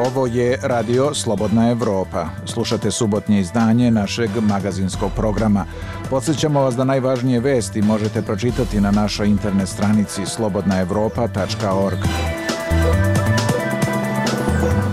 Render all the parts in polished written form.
Ovo je Radio Slobodna Evropa. Slušate subotnje izdanje našeg magazinskog programa. Podsjećamo vas da najvažnije vesti možete pročitati na našoj internet stranici slobodnaevropa.org.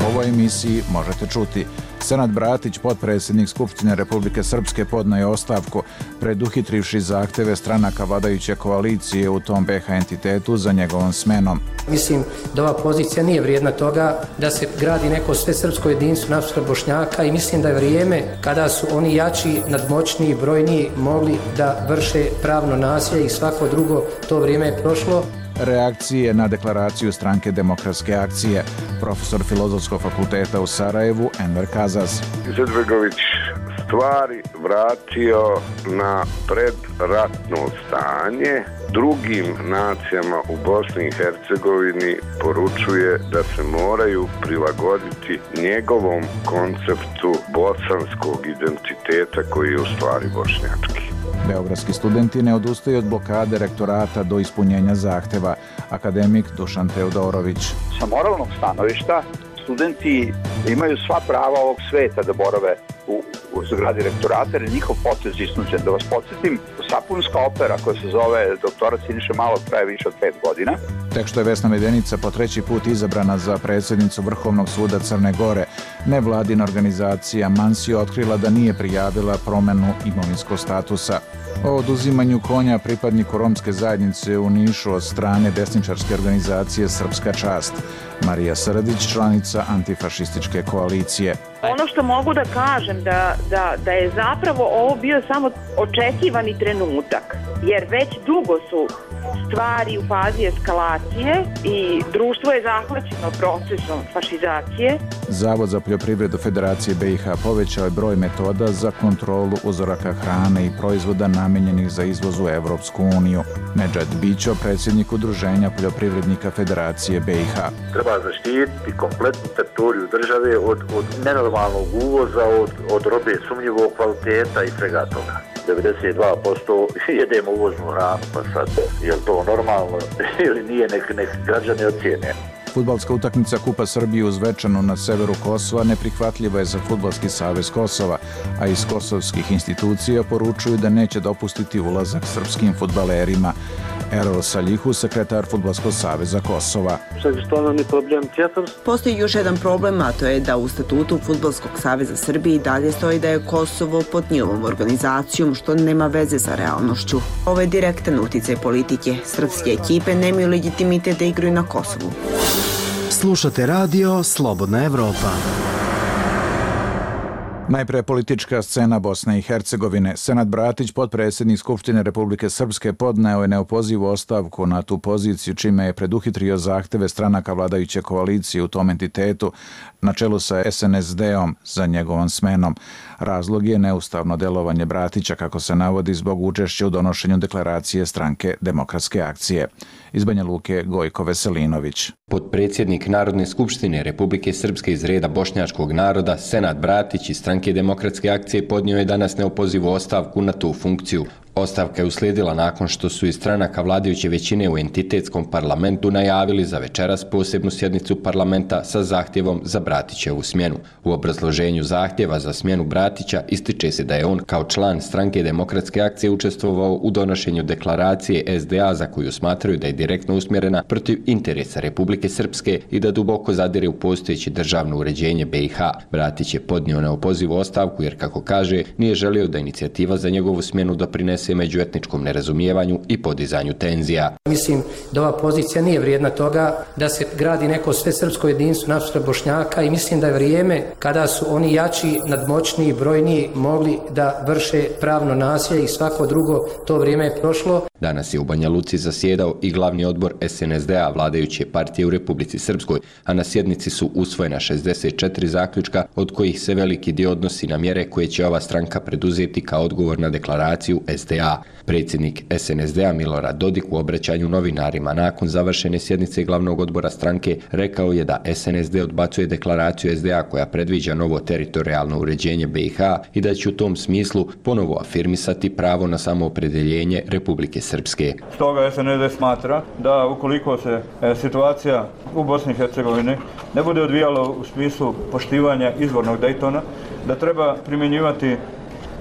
U ovoj emisiji možete čuti: Senad Bratić, potpredsjednik Skupštine Republike Srpske, podneo je ostavku preduhitrivši zahteve stranaka vladajuće koalicije u tom BiH entitetu za njegovom smenom. Mislim da ova pozicija nije vrijedna toga da se gradi neko svesrpsko jedinstvo nasuprot Bošnjaka i mislim da je vrijeme kada su oni jači, nadmoćniji, brojniji mogli da vrše pravno nasilje i svako drugo, to vrijeme je prošlo. Reakcije na deklaraciju Stranke demokratske akcije. Profesor Filozofskog fakulteta u Sarajevu, Enver Kazaz. Izetbegović stvari vratio na predratno stanje. Drugim nacijama u Bosni i Hercegovini poručuje da se moraju prilagoditi njegovom konceptu bosanskog identiteta koji je u stvari bošnjački. Beogradski studenti ne odustaju od blokade rektorata do ispunjenja zahteva. Akademik Dušan Teodorović. Sa moralnog stanovišta studenti imaju sva prava ovog sveta da borave u zgradi rektorata, jer je njihov potez isnuđen. Da vas podsjetim, sapunska opera koja se zove Doktorat Siniše Malog traje više od 5 godina. Tek što je Vesna Medenica po 3. put izabrana za predsjednicu Vrhovnog suda Crne Gore, nevladina organizacija Mansio otkrila da nije prijavila promjenu imovinskog statusa. O oduzimanju konja pripadniku romske zajednice u Nišu od strane desničarske organizacije Srpska čast. Marija Srdić, članica antifašističke koalicije. Ono što mogu da kažem da je zapravo ovo bio samo očekivani trenutak, jer već dugo su stvari u fazi eskalacije i društvo je zahvaćeno procesom fašizacije. Zavod za poljoprivredu Federacije BiH povećao je broj metoda za kontrolu uzoraka hrane i proizvoda namijenjenih za izvoz u Evropsku uniju. Nedžad Bićo, predsjednik Udruženja poljoprivrednika Federacije BiH. Treba zaštititi kompletnu teritoriju države od nenormalnog uvoza, od robe sumnjivog kvaliteta i svega toga. 92% jedemo uvoznu hranu, pa sad, je li to normalno ili nije, nek građani ocijene. Fudbalska utakmica Kupa Srbije u Zvečanu na severu Kosova neprihvatljiva je za Fudbalski savez Kosova, a iz kosovskih institucija poručuju da neće dopustiti ulazak srpskim fudbalerima. Erol Saljihu, sekretar Fudbalskog saveza Kosova. Postoji još jedan problem, a to je da u statutu Fudbalskog saveza Srbije dalje stoji da je Kosovo pod njihovom organizacijom, što nema veze sa realnošću. Ovo je direktan uticaj politike. Srpske ekipe nemaju legitimitet da igraju na Kosovu. Slušate radio Slobodna Evropa. Najpre politička scena Bosne i Hercegovine. Senad Bratić, potpredsjednik Skupštine Republike Srpske, podneo je neopozivu ostavku na tu poziciju, čime je preduhitrio zahteve stranaka vladajuće koalicije u tom entitetu na čelu sa SNSD-om za njegovom smenom. Razlog je neustavno delovanje Bratića, kako se navodi, zbog učešća u donošenju deklaracije Stranke demokratske akcije. Iz Banja Luke, Gojko Veselinović. Potpredsjednik Narodne skupštine Republike Srpske iz reda bošnjačkog naroda, Senad Bratić iz Stranke demokratske akcije podnio je danas neopozivu ostavku na tu funkciju. Ostavka je uslijedila nakon što su iz stranaka vladajuće većine u entitetskom parlamentu najavili za večeras posebnu sjednicu parlamenta sa zahtjevom za Bratićevu smjenu. U obrazloženju zahtjeva za smjenu Bratića ističe se da je on kao član Stranke demokratske akcije učestvovao u donošenju deklaracije SDA za koju smatraju da je direktno usmjerena protiv interesa Republike Srpske i da duboko zadire u postojeće državno uređenje BiH. Bratić je podnio neopozivu ostavku jer, kako kaže, nije želio da inicijativa za njegovu smjenu doprinese međuetničkom nerazumijevanju i podizanju tenzija. Mislim da ova pozicija nije vrijedna toga da se gradi neko svesrpsko jedinstvo nasuprot Bošnjaka i mislim da je vrijeme kada su oni jači, nadmoćniji, brojniji mogli da vrše pravno nasilje i svako drugo, to vrijeme je prošlo. Danas je u Banja Luci zasjedao i glavni odbor SNSD-a vladajuće partije u Republici Srpskoj, a na sjednici su usvojena 64 zaključka, od kojih se veliki dio odnosi na mjere koje će ova stranka preduzeti kao odgovor na deklaraciju SDA. Predsjednik SNSD-a Milorad Dodik u obraćanju novinarima nakon završene sjednice glavnog odbora stranke rekao je da SNSD odbacuje deklaraciju SDA koja predviđa novo teritorijalno uređenje BiH i da će u tom smislu ponovo afirmisati pravo na samoopredeljenje Republike Srpske. Stoga SNSD smatra da ukoliko se situacija u Bosni i Hercegovini ne bude odvijala u smislu poštivanja izvornog Daytona, da treba primjenjivati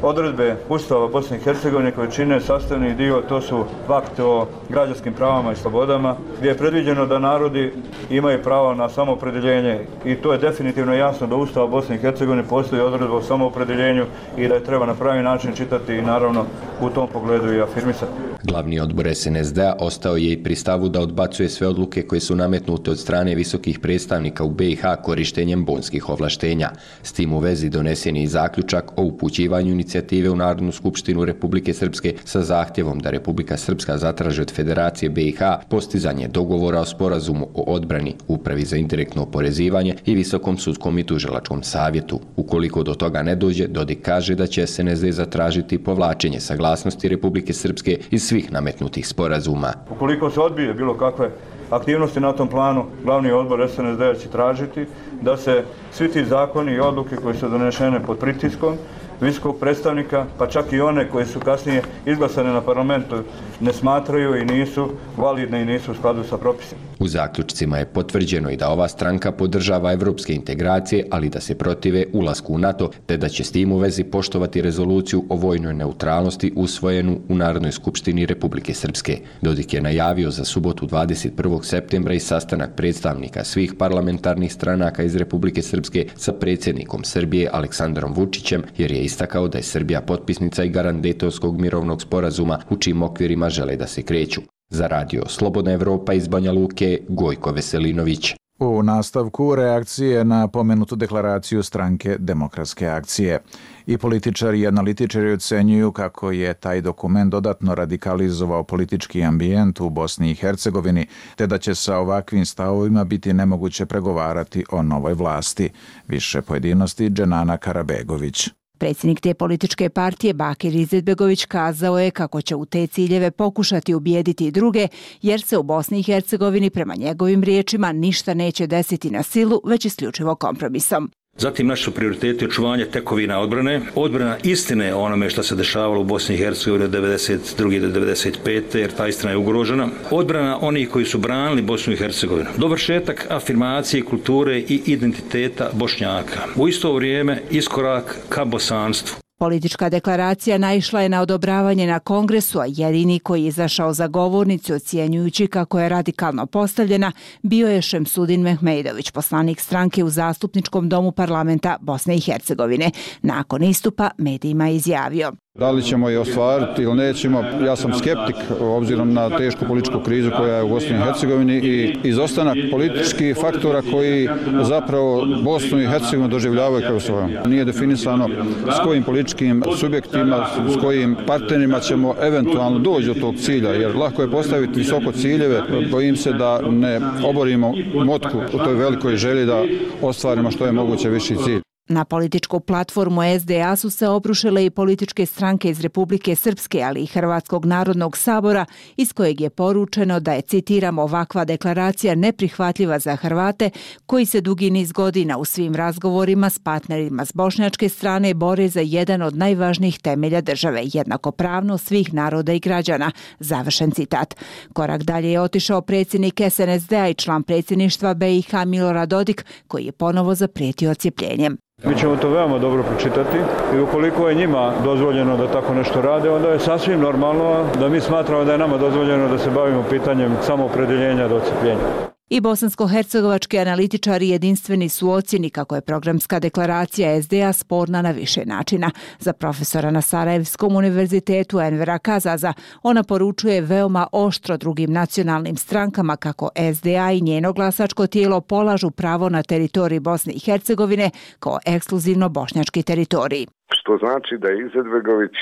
odredbe Ustava Bosne i Hercegovine koje čine sastavni dio, to su akt o građanskim pravama i slobodama, gdje je predviđeno da narodi imaju pravo na samoopredjeljenje i to je definitivno jasno da Ustava Bosne i Hercegovine postoji odredba o samoopredjeljenju i da je treba na pravi način čitati i naravno u tom pogledu i afirmisati. Glavni odbor SNSD-a ostao je i pri stavu da odbacuje sve odluke koje su nametnute od strane visokih predstavnika u BiH korištenjem bonskih ovlaštenja. S tim u vezi donesen je i zaključak o upućivanju inicijative u Narodnu skupštinu Republike Srpske sa zahtjevom da Republika Srpska zatraži od Federacije BiH postizanje dogovora o sporazumu o odbrani, Upravi za indirektno oporezivanje i Visokom sudskom i tužilačkom savjetu. Ukoliko do toga ne dođe, Dodik kaže da će SNSD zatražiti povlačenje saglasnosti Republike Srpske iz svih nametnutih sporazuma. Ukoliko se odbije bilo kakve aktivnosti na tom planu, glavni odbor SNSD će tražiti da se svi ti zakoni i odluke koje su donešene pod pritiskom visokog predstavnika, pa čak i one koje su kasnije izglasane na parlamentu, ne smatraju i nisu validne i nisu u skladu sa propisima. U zaključcima je potvrđeno i da ova stranka podržava evropske integracije, ali da se protive ulasku u NATO, te da će s tim u vezi poštovati rezoluciju o vojnoj neutralnosti usvojenu u Narodnoj skupštini Republike Srpske. Dodik je najavio za subotu 21. septembra i sastanak predstavnika svih parlamentarnih stranaka iz Republike Srpske sa predsjednikom Srbije Aleksandrom Vučićem, jer je istakao da je Srbija potpisnica i garant Dejtonskog mirovnog sporazuma u čijim okvirima žele da se kreću. Za radio Slobodna Evropa iz Banja Luke, Gojko Veselinović. U nastavku reakcije na pomenutu deklaraciju stranke Demokratske akcije. I političari i analitičari ocenjuju kako je taj dokument dodatno radikalizovao politički ambijent u Bosni i Hercegovini, te da će sa ovakvim stavovima biti nemoguće pregovarati o novoj vlasti. Više pojedinosti Dženana Karabegović. Predsjednik te političke partije Bakir Izetbegović kazao je kako će u te ciljeve pokušati ubijediti i druge, jer se u Bosni i Hercegovini prema njegovim riječima ništa neće desiti na silu, već isključivo kompromisom. Zatim naši su prioriteti očuvanje tekovina odbrane, odbrana istine o onome što se dešavalo u Bosni i Hercegovini od 1992. do 1995. jer ta istina je ugrožena. Odbrana onih koji su branili Bosnu i Hercegovinu. Dovršetak afirmacije kulture i identiteta Bošnjaka. U isto vrijeme iskorak ka bosanstvu. Politička deklaracija naišla je na odobravanje na kongresu, a jedini koji je izašao za govornicu ocjenjujući kako je radikalno postavljena bio je Šemsudin Mehmejdović, poslanik stranke u Zastupničkom domu parlamenta Bosne i Hercegovine. Nakon istupa medijima je izjavio: Da li ćemo je ostvariti ili nećemo, ja sam skeptik obzirom na tešku političku krizu koja je u Bosni i Hercegovini i izostanak političkih faktora koji zapravo Bosnu i Hercegovinu doživljavaju kao svojom. Nije definisano s kojim političkim subjektima, s kojim partnerima ćemo eventualno doći do tog cilja, jer lako je postaviti visoko ciljeve, bojim se da ne oborimo motku u toj velikoj želji da ostvarimo što je moguće viši cilj. Na političku platformu SDA su se obrušile i političke stranke iz Republike Srpske, ali i Hrvatskog narodnog sabora, iz kojeg je poručeno da je, citiram, ovakva deklaracija neprihvatljiva za Hrvate koji se dugi niz godina u svim razgovorima s partnerima s bošnjačke strane bore za jedan od najvažnijih temelja države, jednakopravnost svih naroda i građana. Završen citat. Korak dalje je otišao predsjednik SNSD-a i član predsjedništva BiH Milorad Dodik, koji je ponovo zaprijetio odcjepljenjem. Mi ćemo to veoma dobro pročitati i ukoliko je njima dozvoljeno da tako nešto rade, onda je sasvim normalno da mi smatramo da je nama dozvoljeno da se bavimo pitanjem samoopredjeljenja do odcjepljenja. I bosansko-hercegovački analitičari jedinstveni su u ocjeni kako je programska deklaracija SDA sporna na više načina. Za profesora na Sarajevskom univerzitetu Envera Kazaza ona poručuje veoma oštro drugim nacionalnim strankama kako SDA i njeno glasačko tijelo polažu pravo na teritoriji Bosne i Hercegovine kao ekskluzivno bošnjački teritorij. Što znači da je Izetbegović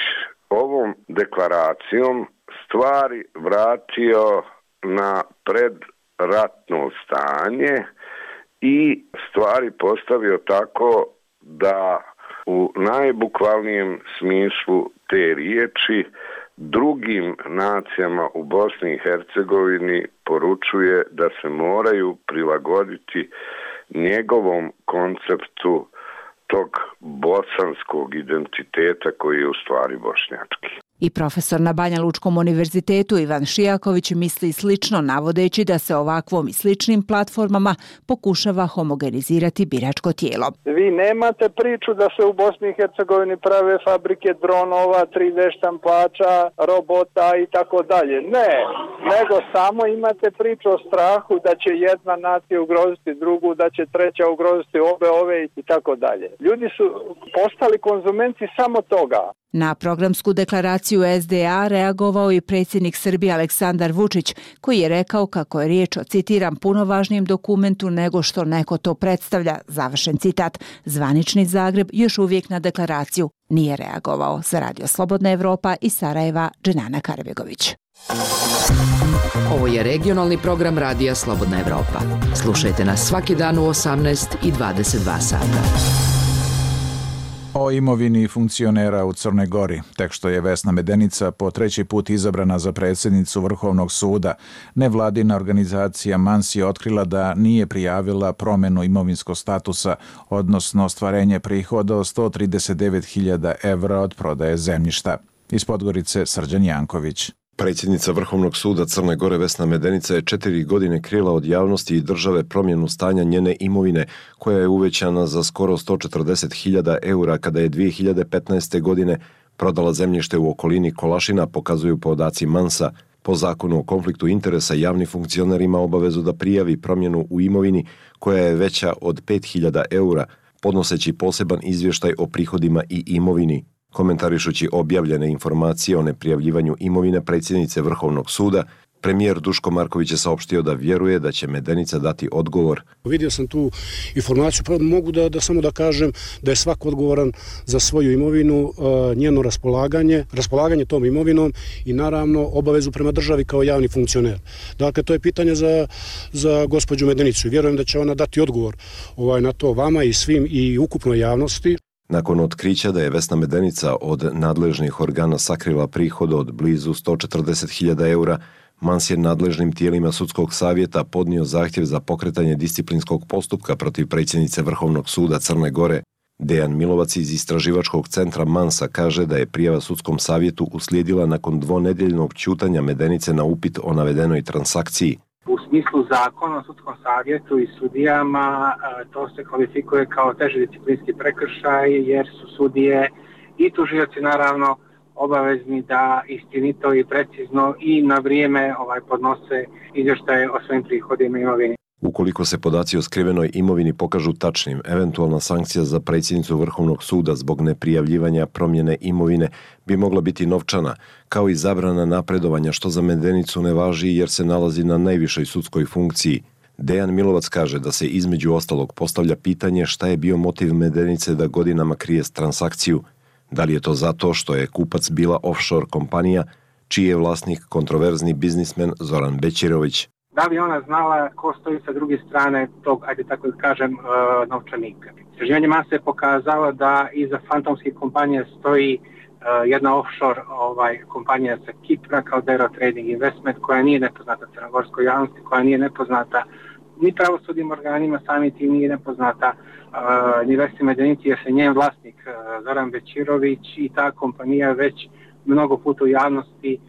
ovom deklaracijom stvari vratio na predratno stanje i stvari postavio tako da u najbukvalnijem smislu te riječi drugim nacijama u Bosni i Hercegovini poručuje da se moraju prilagoditi njegovom konceptu tog bosanskog identiteta koji je u stvari bošnjački. I profesor na Banja Lučkom univerzitetu Ivan Šijaković misli slično, navodeći da se ovakvom i sličnim platformama pokušava homogenizirati biračko tijelo. Vi nemate priču da se u Bosni i Hercegovini prave fabrike dronova, 3D štampača, robota i tako dalje. Ne, nego samo imate priču o strahu da će jedna nacija ugroziti drugu, da će treća ugroziti ove i tako dalje. Ljudi su postali konzumenti samo toga. Na programsku deklaraciju SDA reagovao i predsjednik Srbije Aleksandar Vučić, koji je rekao kako je riječ o, citiram, puno važnijem dokumentu nego što neko to predstavlja, završen citat. Zvanični Zagreb još uvijek na deklaraciju nije reagovao. Za Radio Slobodna Evropa iz Sarajeva, Dženana Karbegović. Ovo je regionalni program Radija Slobodna Evropa. Slušajte nas svaki dan u 18 i 22 sata. O imovini funkcionera u Crnoj Gori, tek što je Vesna Medenica po treći put izabrana za predsjednicu Vrhovnog suda, nevladina organizacija MANS je otkrila da nije prijavila promjenu imovinskog statusa, odnosno ostvarenje prihoda od 139.000 evra od prodaje zemljišta. Iz Podgorice Srđan Janković. Predsjednica Vrhovnog suda Crne Gore Vesna Medenica je 4 godine krila od javnosti i države promjenu stanja njene imovine, koja je uvećana za skoro 140.000 eura kada je 2015. godine prodala zemljište u okolini Kolašina, pokazuju podaci MANS-a. Po zakonu o konfliktu interesa javni funkcioner ima obavezu da prijavi promjenu u imovini koja je veća od 5.000 eura, podnoseći poseban izvještaj o prihodima i imovini. Komentarišući objavljene informacije o neprijavljivanju imovine predsjednice Vrhovnog suda, premijer Duško Marković je saopštio da vjeruje da će Medenica dati odgovor. Vidio sam tu informaciju, pa mogu da samo da kažem da je svako odgovoran za svoju imovinu, njeno raspolaganje tom imovinom i naravno obavezu prema državi kao javni funkcioner. Dakle, to je pitanje za gospođu Medenicu i vjerujem da će ona dati odgovor na to vama i svim i ukupnoj javnosti. Nakon otkrića da je Vesna Medenica od nadležnih organa sakrila prihod od blizu 140.000 eura, MANS je nadležnim tijelima sudskog savjeta podnio zahtjev za pokretanje disciplinskog postupka protiv predsjednice Vrhovnog suda Crne Gore. Dejan Milovac iz istraživačkog centra MANS-a kaže da je prijava sudskom savjetu uslijedila nakon dvonedjeljnog ćutanja Medenice na upit o navedenoj transakciji. U smislu zakona o sudskom savjetu i sudijama to se kvalifikuje kao teži disciplinski prekršaj jer su sudije i tužioci naravno obavezni da istinito i precizno i na vrijeme podnose izvještaje o svojim prihodima i imovini. Ukoliko se podaci o skrivenoj imovini pokažu tačnim, eventualna sankcija za predsjednicu Vrhovnog suda zbog neprijavljivanja promjene imovine bi mogla biti novčana, kao i zabrana napredovanja, što za Medenicu ne važi jer se nalazi na najvišoj sudskoj funkciji. Dejan Milovac kaže da se između ostalog postavlja pitanje šta je bio motiv Medenice da godinama krije transakciju. Da li je to zato što je kupac bila offshore kompanija, čiji je vlasnik kontroverzni biznismen Zoran Bećirović. Da li ona znala ko stoji sa druge strane tog, ajde tako da kažem, novčanika? Istraživanje MANS je pokazalo da iza fantomskih kompanija stoji jedna offshore kompanija sa Kipra kao Dero Trading Investment, koja nije nepoznata crnogorskoj javnosti, koja nije nepoznata ni pravosudnim organima, sami tim nije nepoznata ni Vesni Medenici, jer se njen vlasnik Zoran Bećirović i ta kompanija već mnogo puta u javnosti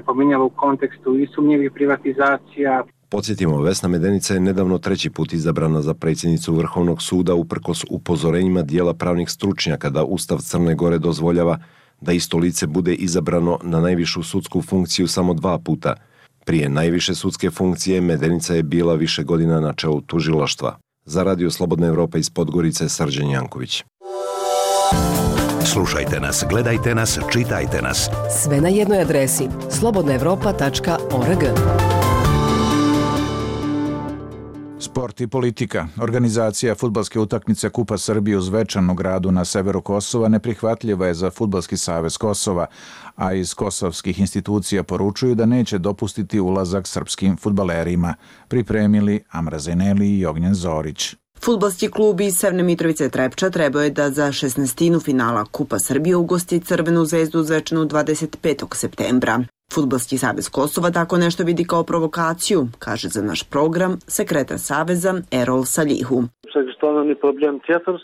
pominjala u kontekstu i sumnjivih privatizacija. Podsjetimo, Vesna Medenica je nedavno treći put izabrana za predsjednicu Vrhovnog suda uprkos upozorenjima dijela pravnih stručnjaka da Ustav Crne Gore dozvoljava da isto lice bude izabrano na najvišu sudsku funkciju samo 2 puta. Prije najviše sudske funkcije Medenica je bila više godina na čelu tužilaštva. Za Radio Slobodna Evropa iz Podgorice, Srđan Janković. Slušajte nas, gledajte nas, čitajte nas. Sve na jednoj adresi slobodnaevropa.org. Sport i politika. Organizacija fudbalske utakmice Kupa Srbije u Zvečanu, gradu na severu Kosova, neprihvatljiva je za Fudbalski savez Kosova, a iz kosovskih institucija poručuju da neće dopustiti ulazak srpskim fudbalerima. Pripremili Amra Zeneli i Ognjen Zorić. Fudbalski klub iz Severne Mitrovice Trepča trebao je da za 16. finala Kupa Srbije ugosti Crvenu zvezdu u Zvečanu 25. septembra. Fudbalski savez Kosova tako nešto vidi kao provokaciju, kaže za naš program sekretar saveza Erol Salihu.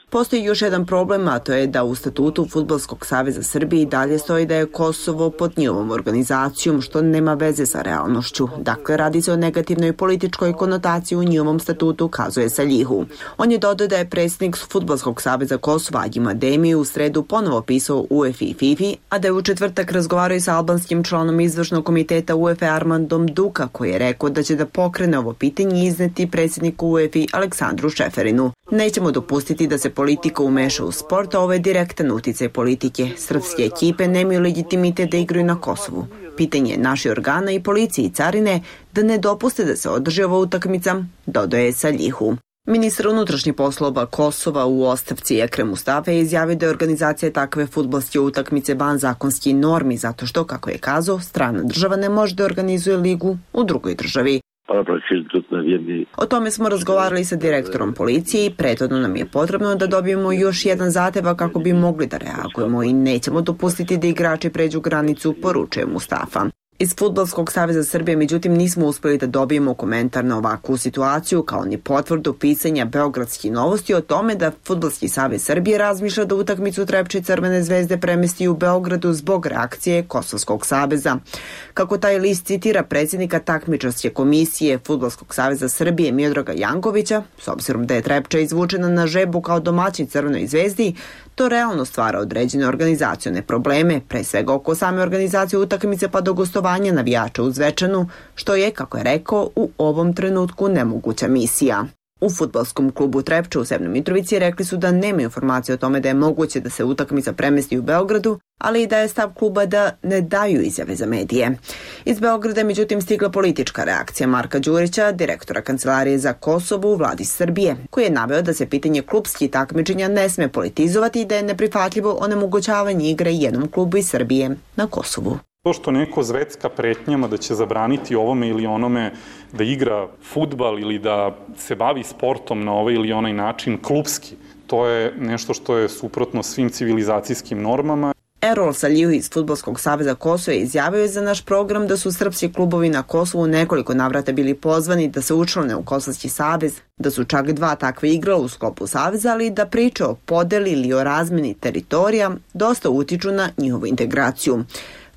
Postoji još jedan problem, a to je da u statutu Fudbalskog saveza Srbije dalje stoji da je Kosovo pod njihovom organizacijom, što nema veze sa realnošću. Dakle, radi se o negativnoj političkoj konotaciji u njihovom statutu, kazuje Salihu. On je dodao da je predsjednik Fudbalskog saveza Kosova Adjim Ademi u sredu ponovo pisao UEFA i FIFA, a da je u četvrtak razgovarao i sa albanskim članom izvršnog komiteta UEFA Armandom Duka, koji je rekao da će da pokrene ovo pitanje i izneti predsjedniku UEFA Aleksandru Šeferinu. Nećemo dopustiti da se politika umeša u sport, a ovo je direktan uticaj politike. Srpske ekipe nemaju legitimitet da igraju na Kosovu. Pitanje je naših organa i policije i carine da ne dopuste da se održi ova utakmica, dodaje Salihu. Ministar unutrašnjih poslova Kosova u ostavci Ekrem Mustafa je izjavio da je organizacija takve fudbalske utakmice van zakonskih normi zato što, kako je kazao, strana država ne može da organizuje ligu u drugoj državi. O tome smo razgovarali sa direktorom policije i prethodno nam je potrebno da dobijemo još jedan zahtjev kako bi mogli da reagujemo i nećemo dopustiti da igrači pređu granicu, poručuje Mustafa. Iz Fudbalskog saveza Srbije, međutim, nismo uspjeli da dobijemo komentar na ovakvu situaciju, kao ni potvrdu pisanja Beogradskih novosti o tome da Fudbalski savez Srbije razmišlja da utakmicu Trepče i Crvene zvezde premesti u Beogradu zbog reakcije Kosovskog saveza. Kako taj list citira predsjednika takmičarske komisije Fudbalskog saveza Srbije Miodraga Jankovića, s obzirom da je Trepča izvučena na žebu kao domaćin Crvenoj zvezdi, to realno stvara određene organizacione probleme, pre svega oko same organizacije utakmice pa do gostovanja navijača u Zvečanu, što je, kako je rekao, u ovom trenutku nemoguća misija. U fudbalskom klubu Trepča u Severnoj Mitrovici rekli su da nema informacije o tome da je moguće da se utakmica premesti u Beogradu, ali i da je stav kluba da ne daju izjave za medije. Iz Beograda je međutim stigla politička reakcija Marka Đurića, direktora Kancelarije za Kosovo u vladi Srbije, koji je naveo da se pitanje klubskih takmičenja ne sme politizovati i da je neprihvatljivo onemogućavanje igre jednom klubu iz Srbije na Kosovu. To što neko zvecka pretnjama da će zabraniti ovome ili onome da igra fudbal ili da se bavi sportom na ovaj ili onaj način klubski, to je nešto što je suprotno svim civilizacijskim normama. Erol Salihu iz Fudbalskog saveza Kosova je izjavio za naš program da su srpski klubovi na Kosovu nekoliko navrata bili pozvani da se učlane u Kosovski savez, da su čak 2 takve igrala u sklopu saveza, ali da priče o podeli ili o razmeni teritorija dosta utiču na njihovu integraciju.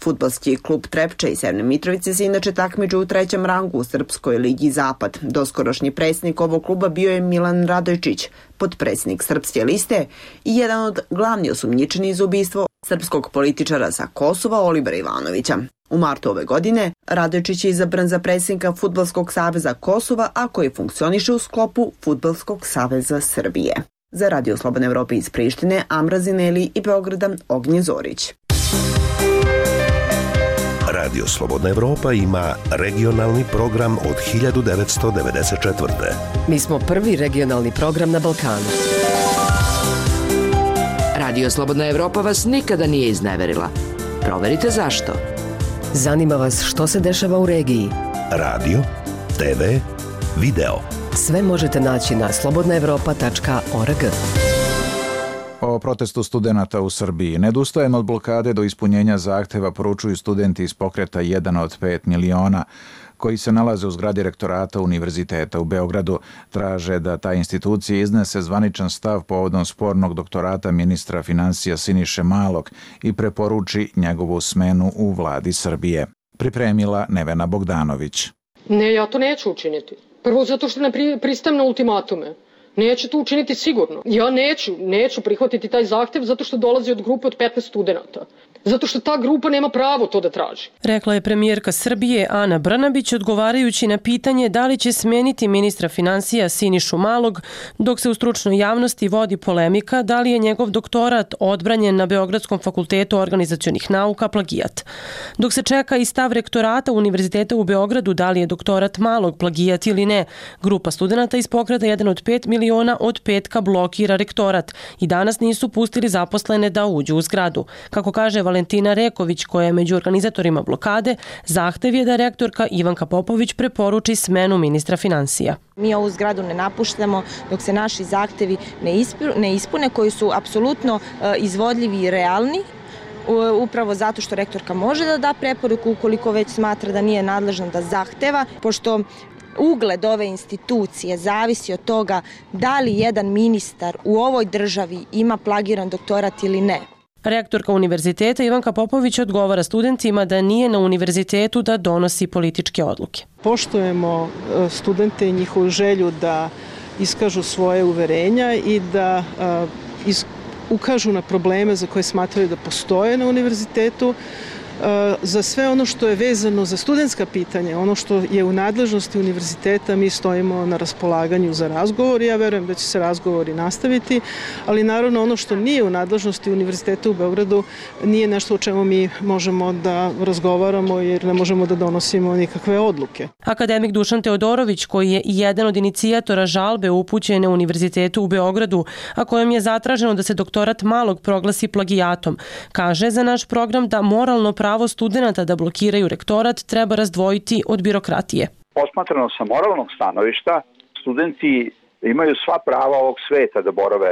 Fudbalski klub Trepča i Severne Mitrovice se inače takmiče u 3. rangu u Srpskoj ligi Zapad. Doskorašnji predsjednik ovog kluba bio je Milan Radojčić, potpredsjednik Srpske liste i jedan od glavnih osumnjičenih za ubistvo srpskog političara sa Kosova Olibera Ivanovića. U martu ove godine Radojčić je izabran za predsjednika Fudbalskog saveza Kosova, a koji funkcioniše u sklopu Fudbalskog saveza Srbije. Za Radio Slobodne Evrope iz Prištine, Amra Zineli i Beograda, Ognje Zorić. Radio Slobodna Evropa ima regionalni program od 1994. Mi smo prvi regionalni program na Balkanu. Radio Slobodna Evropa vas nikada nije izneverila. Proverite zašto. Zanima vas što se dešava u regiji. Radio, TV, video. Sve možete naći na slobodnaevropa.org. O protestu studenata u Srbiji. Ne odustajemo od blokade do ispunjenja zahteva, poručuju studenti iz pokreta 1 od 5 miliona koji se nalaze u zgradi rektorata Univerziteta u Beogradu. Traže da ta institucija iznese zvaničan stav povodom spornog doktorata ministra finansija Siniše Malog i preporuči njegovu smenu u vladi Srbije. Pripremila Nevena Bogdanović. Ne, ja to neću učiniti. Prvo zato što ne pristajem na ultimatume. Neću to učiniti sigurno. Ja neću prihvatiti taj zahtev zato što dolazi od grupe od 15 studenata. Zato što ta grupa nema pravo to da traži. Rekla je premijerka Srbije Ana Brnabić odgovarajući na pitanje da li će smeniti ministra finansija Sinišu Malog, dok se u stručnoj javnosti vodi polemika da li je njegov doktorat odbranjen na Beogradskom fakultetu organizacionih nauka plagijat. Dok se čeka i stav rektorata Univerziteta u Beogradu da li je doktorat Malog plagijat ili ne, grupa studenata iz pokreta 1 od 5 miliona od petka blokira rektorat i danas nisu pustili zaposlene da uđu u zgradu. Kako kaže Valentina Reković, koja je među organizatorima blokade, zahtev je da rektorka Ivanka Popović preporuči smenu ministra finansija. Mi ovu zgradu ne napuštamo dok se naši zahtevi ne ispune, koji su apsolutno izvodljivi i realni, upravo zato što rektorka može da da preporuku ukoliko već smatra da nije nadležna da zahteva, pošto ugled ove institucije zavisi od toga da li jedan ministar u ovoj državi ima plagiran doktorat ili ne. Rektorka univerziteta Ivanka Popović odgovara studentima da nije na univerzitetu da donosi političke odluke. Poštujemo studente i njihovu želju da iskažu svoje uverenja i da ukažu na probleme za koje smatraju da postoje na univerzitetu. Za sve ono što je vezano za studentska pitanja, ono što je u nadležnosti univerziteta, mi stojimo na raspolaganju za razgovor i ja verujem da će se razgovori nastaviti, ali naravno ono što nije u nadležnosti univerziteta u Beogradu nije nešto o čemu mi možemo da razgovaramo jer ne možemo da donosimo nikakve odluke. Akademik Dušan Teodorović, koji je jedan od inicijatora žalbe upućene Univerzitetu u Beogradu, a kojom je zatraženo da se doktorat Malog proglasi plagijatom, kaže za naš program da moralno pravo studenata da blokiraju rektorat treba razdvojiti od birokratije. Posmatrano sa moralnog stanovišta, studenti imaju sva prava ovog sveta da borave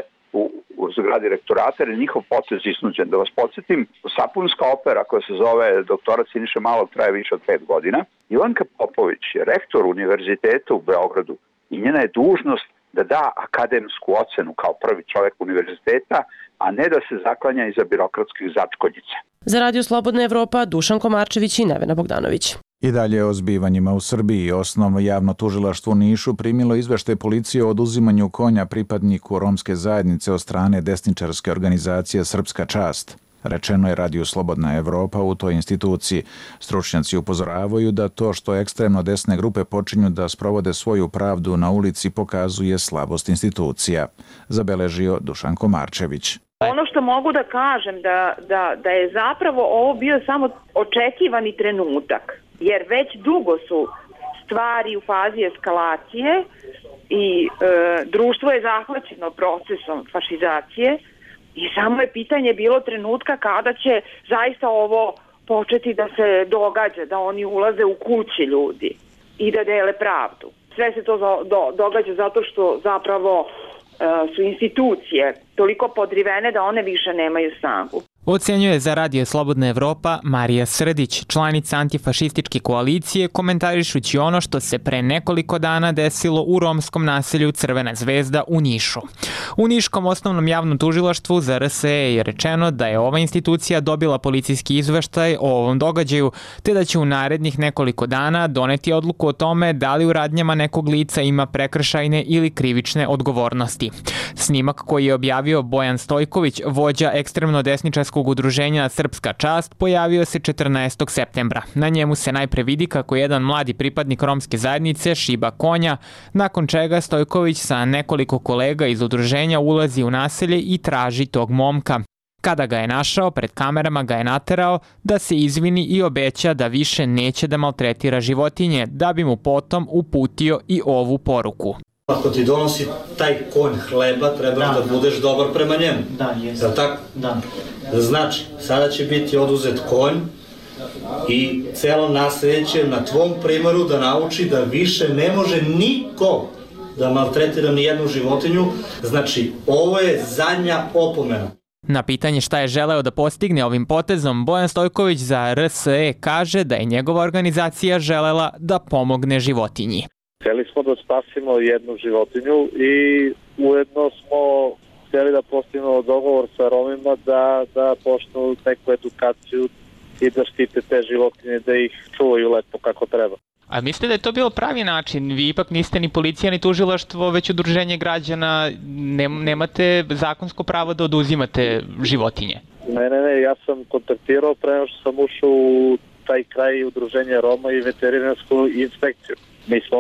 u zgradi rektorata, jer je njihov potez iznuđen. Da vas podsjetim, sapunska opera koja se zove Doktorat Siniše Malog traje više od 5 godina. Ivanka Popović je rektor univerziteta u Beogradu i njena je dužnost da da akademsku ocenu kao prvi čovjek univerziteta, a ne da se zaklanja iza birokratskih začkoljica. Za Radio Slobodna Evropa, Dušan Komarčević i Nevena Bogdanović. I dalje o zbivanjima u Srbiji. Osnovno javno tužilaštvo u Nišu primilo izveštaj policije o oduzimanju konja pripadniku romske zajednice od strane desničarske organizacije Srpska čast. Rečeno je Radio Slobodna Evropa u toj instituciji. Stručnjaci upozoravaju da to što ekstremno desne grupe počinju da sprovode svoju pravdu na ulici pokazuje slabost institucija. Zabeležio Dušan Komarčević. Ono što mogu da kažem da je zapravo ovo bio samo očekivani trenutak, jer već dugo su stvari u fazi eskalacije i društvo je zahvaćeno procesom fašizacije i samo je pitanje bilo trenutka kada će zaista ovo početi da se događa, da oni ulaze u kući ljudi i da dele pravdu. Sve se to događa zato što zapravo su institucije toliko podrivene da one više nemaju snagu. Ocenjuje za Radio Slobodna Evropa Marija Srdić, članica antifašističke koalicije, komentarišući ono što se pre nekoliko dana desilo u romskom naselju Crvena zvezda u Nišu. U Niškom osnovnom javnom tužilaštvu za RSE je rečeno da je ova institucija dobila policijski izveštaj o ovom događaju, te da će u narednih nekoliko dana doneti odluku o tome da li u radnjama nekog lica ima prekršajne ili krivične odgovornosti. Snimak koji je objavio Bojan Stojković, vođa ekstremno desničarskog udruženja Srpska čast, pojavio se 14. septembra. Na njemu se najpre vidi kako jedan mladi pripadnik romske zajednice šiba konja, nakon čega Stojković sa nekoliko kolega iz udruženja ulazi u naselje i traži tog momka. Kada ga je našao, pred kamerama ga je naterao da se izvini i obeća da više neće da maltretira životinje, da bi mu potom uputio i ovu poruku. Ako ti donosi taj konj hleba, trebaš da budeš dobar prema njemu. Da, jesam. Da tako? Da. Znači, sada će biti oduzet konj i celo naselje će na tvom primeru da nauči da više ne može niko da maltretira ni jednu životinju. Znači, ovo je zadnja opomena. Na pitanje šta je želeo da postigne ovim potezom, Bojan Stojković za RSE kaže da je njegova organizacija želela da pomogne životinji. Hteli smo da spasimo jednu životinju i ujedno smo hteli da postignemo dogovor sa Romima da počnu neku edukaciju i da štite te životinje, da ih čuvaju lepo kako treba. A mislite da je to bilo pravi način? Vi ipak niste ni policija ni tužilaštvo, već udruženje građana, nemate zakonsko pravo da oduzimate životinje? Ne, ja sam kontaktirao pre nego što sam ušao u taj kraj udruženja Roma i veterinarsku inspekciju.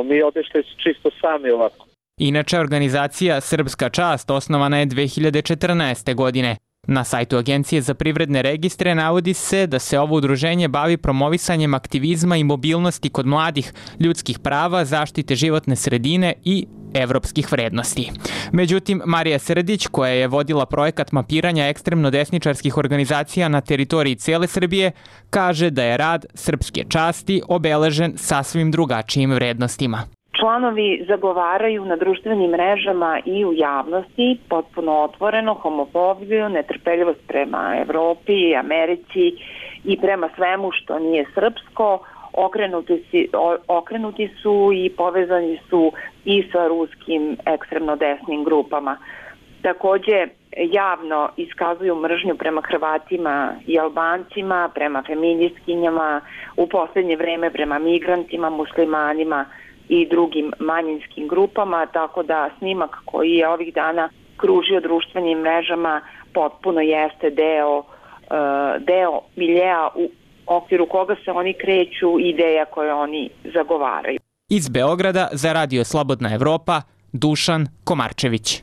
Mi otišli čisto sami ovako. Inače, organizacija Srpska čast osnovana je 2014. godine. Na sajtu Agencije za privredne registre navodi se da se ovo udruženje bavi promovisanjem aktivizma i mobilnosti kod mladih, ljudskih prava, zaštite životne sredine i evropskih vrednosti. Međutim, Marija Srdić, koja je vodila projekat mapiranja ekstremno desničarskih organizacija na teritoriji cele Srbije, kaže da je rad Srpske časti obeležen sasvim drugačijim vrednostima. Članovi zagovaraju na društvenim mrežama i u javnosti potpuno otvoreno homofobiju, netrpeljivost prema Evropi, Americi i prema svemu što nije srpsko. Okrenuti su i povezani su i sa ruskim ekstremno desnim grupama. Takođe, javno iskazuju mržnju prema Hrvatima i Albancima, prema feministkinjama, u poslednje vreme prema migrantima, muslimanima i drugim manjinskim grupama, tako da snimak koji je ovih dana kružio društvenim mrežama potpuno jeste deo miljea u okviru koga se oni kreću, ideja koje oni zagovaraju. Iz Beograda za Radio Slobodna Evropa, Dušan Komarčević.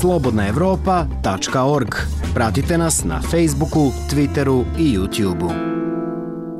slobodnaevropa.org. Pratite nas na Facebooku, Twitteru i YouTubeu.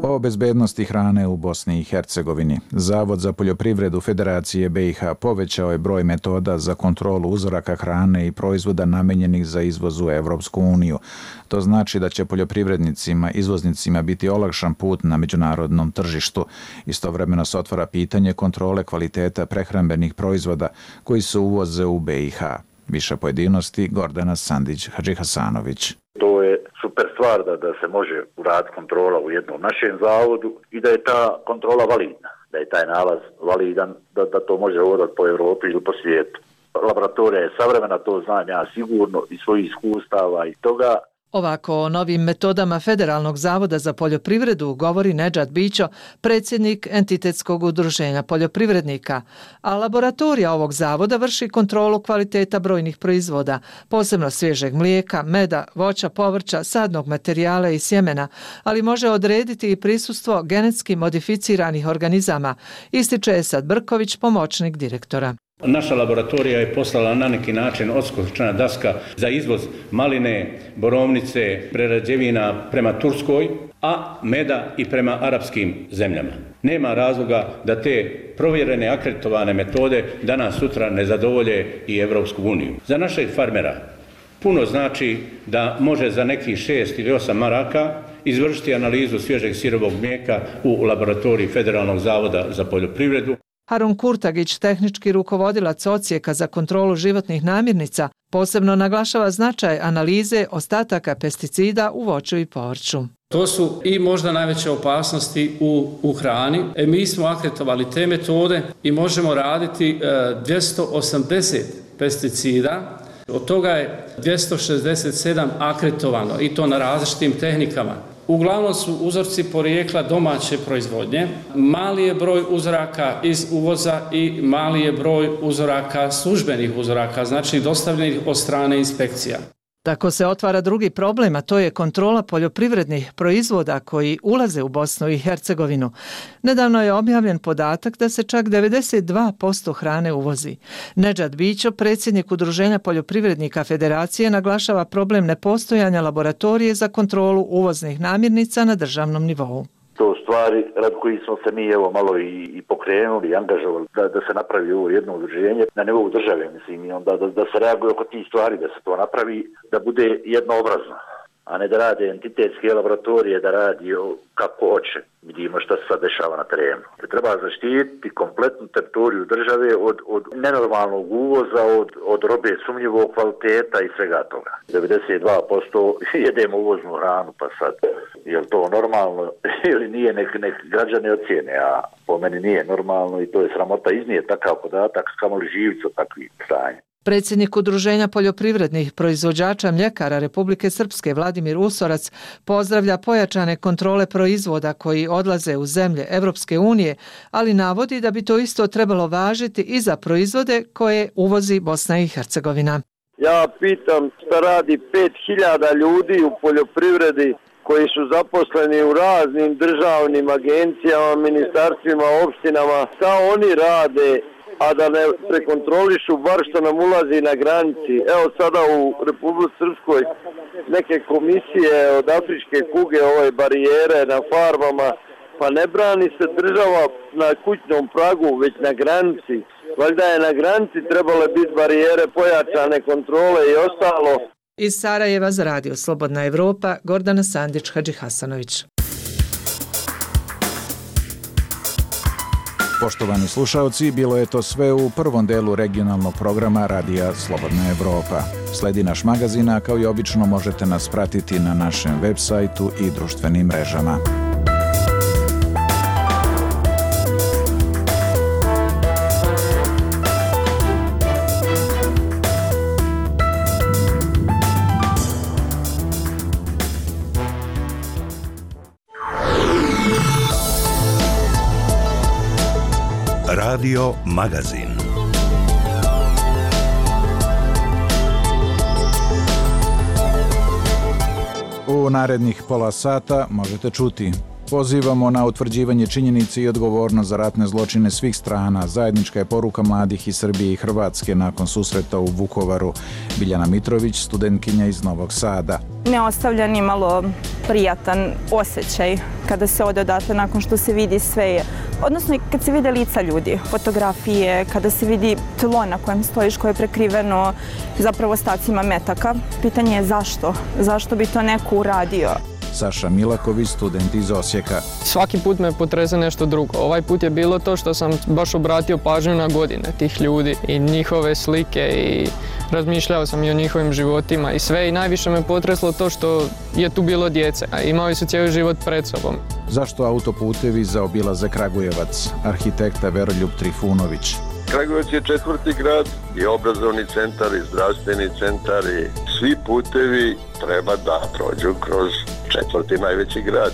O bezbednosti hrane u Bosni i Hercegovini. Zavod za poljoprivredu Federacije BiH povećao je broj metoda za kontrolu uzoraka hrane i proizvoda namenjenih za izvoz u Evropsku uniju. To znači da će poljoprivrednicima, izvoznicima biti olakšan put na međunarodnom tržištu. Istovremeno se otvara pitanje kontrole kvaliteta prehrambenih proizvoda koji se uvoze u BiH. Više pojedinosti Gordana Sandić-Hadžihasanović. To je super stvar da se može uraditi kontrola u jednom našem zavodu i da je ta kontrola validna, da je taj nalaz validan, da to može vodati po Evropi ili po svijetu. Laboratorija je savremena, to znam ja sigurno iz svojih iskustava i toga. Ovako o novim metodama Federalnog zavoda za poljoprivredu govori Nedžad Bićo, predsjednik Entitetskog udruženja poljoprivrednika, a laboratorija ovog zavoda vrši kontrolu kvaliteta brojnih proizvoda, posebno svježeg mlijeka, meda, voća, povrća, sadnog materijala i sjemena, ali može odrediti i prisustvo genetski modificiranih organizama, ističe Esad Brković, pomoćnik direktora. Naša laboratorija je poslala na neki način odskočna daska za izvoz maline, borovnice, prerađevina prema Turskoj, a meda i prema arapskim zemljama. Nema razloga da te provjerene akreditovane metode danas sutra ne zadovolje i Evropsku uniju. Za našeg farmera puno znači da može za nekih 6 ili 8 maraka izvršiti analizu svježeg sirovog mlijeka u laboratoriji Federalnog zavoda za poljoprivredu. Harun Kurtagić, tehnički rukovodilac odsjeka za kontrolu životnih namirnica, posebno naglašava značaj analize ostataka pesticida u voću i povrću. To su i možda najveće opasnosti u hrani. Mi smo akreditovali te metode i možemo raditi 280 pesticida. Od toga je 267 akreditovano i to na različitim tehnikama. Uglavnom su uzorci porijekla domaće proizvodnje. Mali je broj uzoraka iz uvoza i mali je broj uzoraka, službenih uzoraka, znači dostavljenih od strane inspekcija. Tako se otvara drugi problem, a to je kontrola poljoprivrednih proizvoda koji ulaze u Bosnu i Hercegovinu. Nedavno je objavljen podatak da se čak 92% hrane uvozi. Nedžad Bićo, predsjednik Udruženja poljoprivrednika Federacije, naglašava problem nepostojanja laboratorije za kontrolu uvoznih namirnica na državnom nivou. To stvari rad koji smo se mi malo i pokrenuli i angažovali da se napravi ovo jedno udruženje na nivou države, mislim, i onda da se reaguje oko tih stvari, da se to napravi, da bude jednoobrazno, a ne da rade entitetske laboratorije, da radi kako hoće. Vidimo šta se sad dešava na terenu. Treba zaštititi kompletnu teritoriju države od nenormalnog uvoza, od robe sumnjivog kvaliteta i svega toga. 92% jedemo uvoznu hranu, pa sad, je li to normalno ili nije, nek građani ocijene, a po meni nije normalno i to je sramota iznije takav podatak, kamoli živci od takvih stanja. Predsjednik Udruženja poljoprivrednih proizvođača mljekara Republike Srpske Vladimir Usorac pozdravlja pojačane kontrole proizvoda koji odlaze u zemlje Evropske unije, ali navodi da bi to isto trebalo važiti i za proizvode koje uvozi Bosna i Hercegovina. Ja pitam šta radi 5000 ljudi u poljoprivredi koji su zaposleni u raznim državnim agencijama, ministarstvima, opštinama, šta oni rade, a da ne prekontrolišu bar što nam ulazi na granici. Evo sada u Republici Srpskoj neke komisije od afričke kuge, ove barijere na farmama, pa ne brani se država na kućnom pragu, već na granici. Valjda je na granici trebale biti barijere, pojačane kontrole i ostalo. Iz Sarajeva za Radio Slobodna Evropa, Gordana Sandić-Hadžihasanović. Poštovani slušalci, bilo je to sve u prvom delu regionalnog programa Radija Slobodna Evropa. Sledi naš magazin, a kao i obično možete nas pratiti na našem web sajtu i društvenim mrežama. Radio Magazin. U narednih pola sata možete čuti: pozivamo na utvrđivanje činjenice i odgovornost za ratne zločine svih strana. Zajednička je poruka mladih iz Srbije i Hrvatske nakon susreta u Vukovaru. Biljana Mitrović, studentkinja iz Novog Sada. Ne ostavlja ni malo prijatan osjećaj kada se ode odatle nakon što se vidi sve, odnosno kad se vide lica ljudi, fotografije, kada se vidi tlo na kojem stojiš koje je prekriveno zapravo ostacima metaka. Pitanje je zašto? Zašto bi to neko uradio? Saša Milaković, student iz Osijeka. Svaki put me potrese nešto drugo. Ovaj put je bilo to što sam baš obratio pažnju na godine tih ljudi i njihove slike i razmišljao sam i o njihovim životima i sve, i najviše me potreslo to što je tu bilo djece, a imali su cijeli život pred sobom. Zašto autoputevi zaobilaze Kragujevac? Arhitekta Veroljub Trifunović. Kragujevac je četvrti grad i obrazovni centar i zdravstveni centar i svi putevi treba da prođu kroz četvrti najveći grad.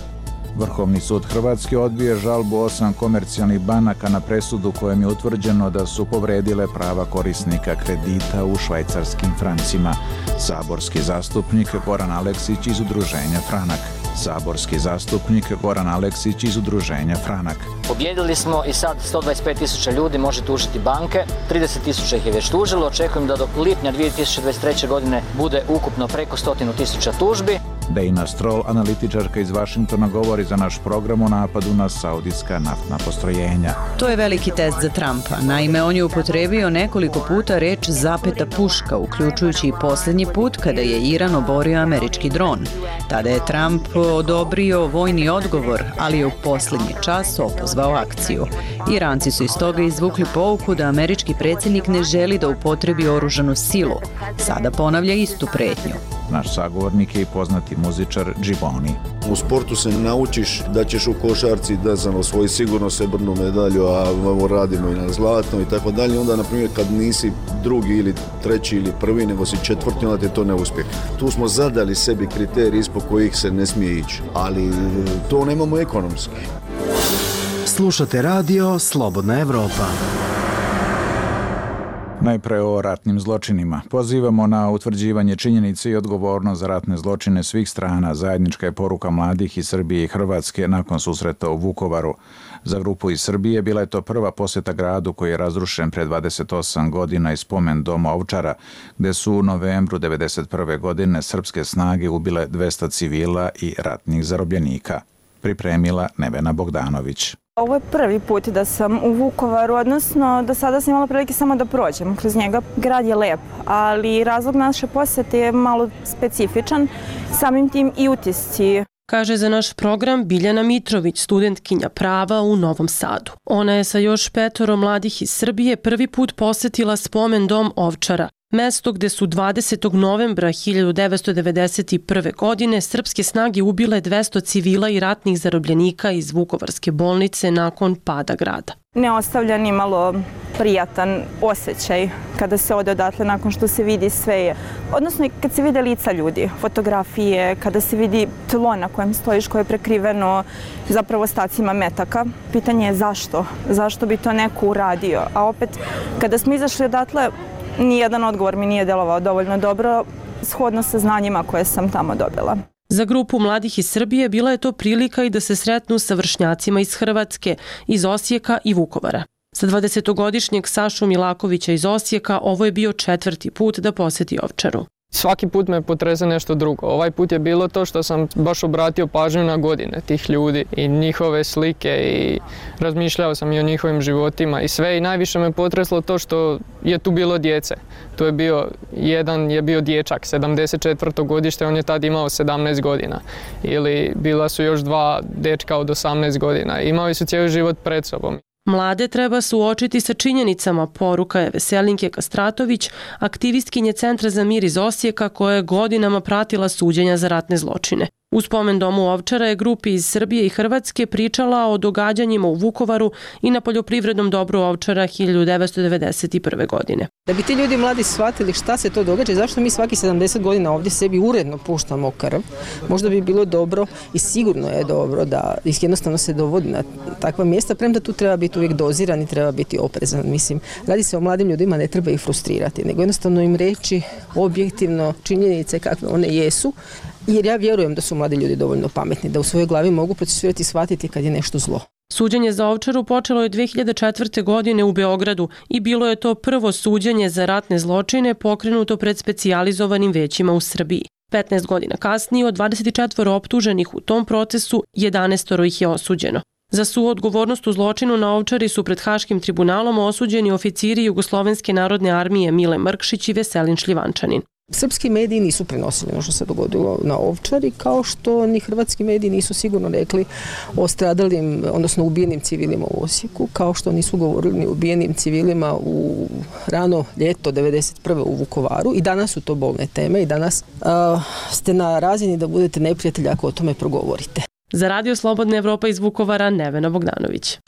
Vrhovni sud Hrvatske odbije žalbu 8 komercijalnih banaka na presudu kojem je utvrđeno da su povredile prava korisnika kredita u švajcarskim francima. Saborski zastupnik Goran Aleksić iz udruženja Franak. Saborski zastupnik Goran Aleksić iz udruženja Franak. Pobjedili smo i sad 125.000 ljudi može tužiti banke, 30.000 ih je već tužilo, očekujem da do lipnja 2023. godine bude ukupno preko 100.000 tužbi. Dana Stroll, analitičarka iz Vašingtona, govori za naš program o napadu na saudijska naftna postrojenja. To je veliki test za Trumpa. Naime, on je upotrebio nekoliko puta reč zapeta puška, uključujući i posljednji put kada je Iran oborio američki dron. Tada je Trump odobrio vojni odgovor, ali je u posljednji čas opozvao akciju. Iranci su iz toga izvukli pouku da američki predsjednik ne želi da upotrebi oružanu silu. Sada ponavlja istu pretnju. Naš sagovornik je i poznati muzičar Džiboni. U sportu se naučiš da ćeš u košarci osvojiti sigurno srebrnu medalju, a radimo i na zlatno i tako dalje. Onda, na primjer, kad nisi drugi ili treći ili prvi, nego si četvrti, onda te to ne uspije. Tu smo zadali sebi kriterij ispod kojih se ne smije ići, ali to nemamo ekonomski. Slušate radio Slobodna Evropa. Najpre o ratnim zločinima. Pozivamo na utvrđivanje činjenice i odgovornost za ratne zločine svih strana. Zajednička je poruka mladih iz Srbije i Hrvatske nakon susreta u Vukovaru. Za grupu iz Srbije bila je to prva posjeta gradu koji je razrušen pre 28 godina i spomen doma Ovčara, gde su u novembru 1991. godine srpske snage ubile 200 civila i ratnih zarobljenika. Pripremila Nevena Bogdanović. Ovo je prvi put da sam u Vukovaru, odnosno do sada sam imala prilike samo da prođem kroz njega. Grad je lep, ali razlog naše posjete je malo specifičan, samim tim i utisci. Kaže za naš program Biljana Mitrović, studentkinja prava u Novom Sadu. Ona je sa još 5 mladih iz Srbije prvi put posjetila spomen dom Ovčara, mesto gde su 20. novembra 1991. godine srpske snage ubile 200 civila i ratnih zarobljenika iz Vukovarske bolnice nakon pada grada. Ne ostavlja ni malo prijatan osjećaj kada se ode odatle nakon što se vidi sve, odnosno kad se vide lica ljudi, fotografije, kada se vidi tlo na kojem stojiš koje je prekriveno zapravo ostacima metaka. Pitanje je zašto? Zašto bi to neko uradio? A opet, kada smo izašli odatle, nijedan odgovor mi nije delovao dovoljno dobro, shodno sa znanjima koje sam tamo dobila. Za grupu mladih iz Srbije bila je to prilika i da se sretnu sa vršnjacima iz Hrvatske, iz Osijeka i Vukovara. Za 20-godišnjeg Sašu Milakovića iz Osijeka ovo je bio 4. put da posjeti Ovčaru. Svaki put me potrese nešto drugo. Ovaj put je bilo to što sam baš obratio pažnju na godine tih ljudi i njihove slike i razmišljao sam i o njihovim životima i sve, i najviše me potreslo to što je tu bilo djece. Tu je bio, jedan je bio dječak, 74. godište, on je tad imao 17 godina. Ili bila su još 2 dečka od 18 godina. Imali su cijeli život pred sobom. Mlade treba suočiti sa činjenicama, poruka je Veselinke Kastratović, aktivistkinje Centra za mir iz Osijeka koja je godinama pratila suđenja za ratne zločine. U spomen domu Ovčara je grupi iz Srbije i Hrvatske pričala o događanjima u Vukovaru i na poljoprivrednom dobru Ovčara 1991. godine. Da bi ti ljudi mladi shvatili šta se to događa i zašto mi svaki 70 godina ovdje sebi uredno puštamo krv, možda bi bilo dobro i sigurno je dobro da ih jednostavno se dovodi na takva mjesta, premda tu treba biti uvijek doziran i treba biti oprezan. Mislim, radi se o mladim ljudima, ne treba ih frustrirati, nego jednostavno im reći objektivno činjenice kakve one jesu, jer ja vjerujem da su mladi ljudi dovoljno pametni, da u svojoj glavi mogu procesuirati i shvatiti kad je nešto zlo. Suđenje za Ovčaru počelo je 2004. godine u Beogradu i bilo je to prvo suđenje za ratne zločine pokrenuto pred specijalizovanim većima u Srbiji. 15 godina kasnije od 24 optuženih u tom procesu, 11 ih je osuđeno. Za suodgovornost u zločinu na Ovčari su pred Haškim tribunalom osuđeni oficiri Jugoslovenske narodne armije Mile Mrkšić i Veselin Šljivančanin. Srpski mediji nisu prenosili ono što se dogodilo na Ovčari, kao što ni hrvatski mediji nisu sigurno rekli o stradalim, odnosno ubijenim civilima u Osijeku, kao što nisu govorili ni o ubijenim civilima u rano ljeto 1991. u Vukovaru. I danas su to bolne teme i danas ste na razini da budete neprijatelji ako o tome progovorite. Za Radio Slobodna Evropa iz Vukovara, Nevena Bogdanović.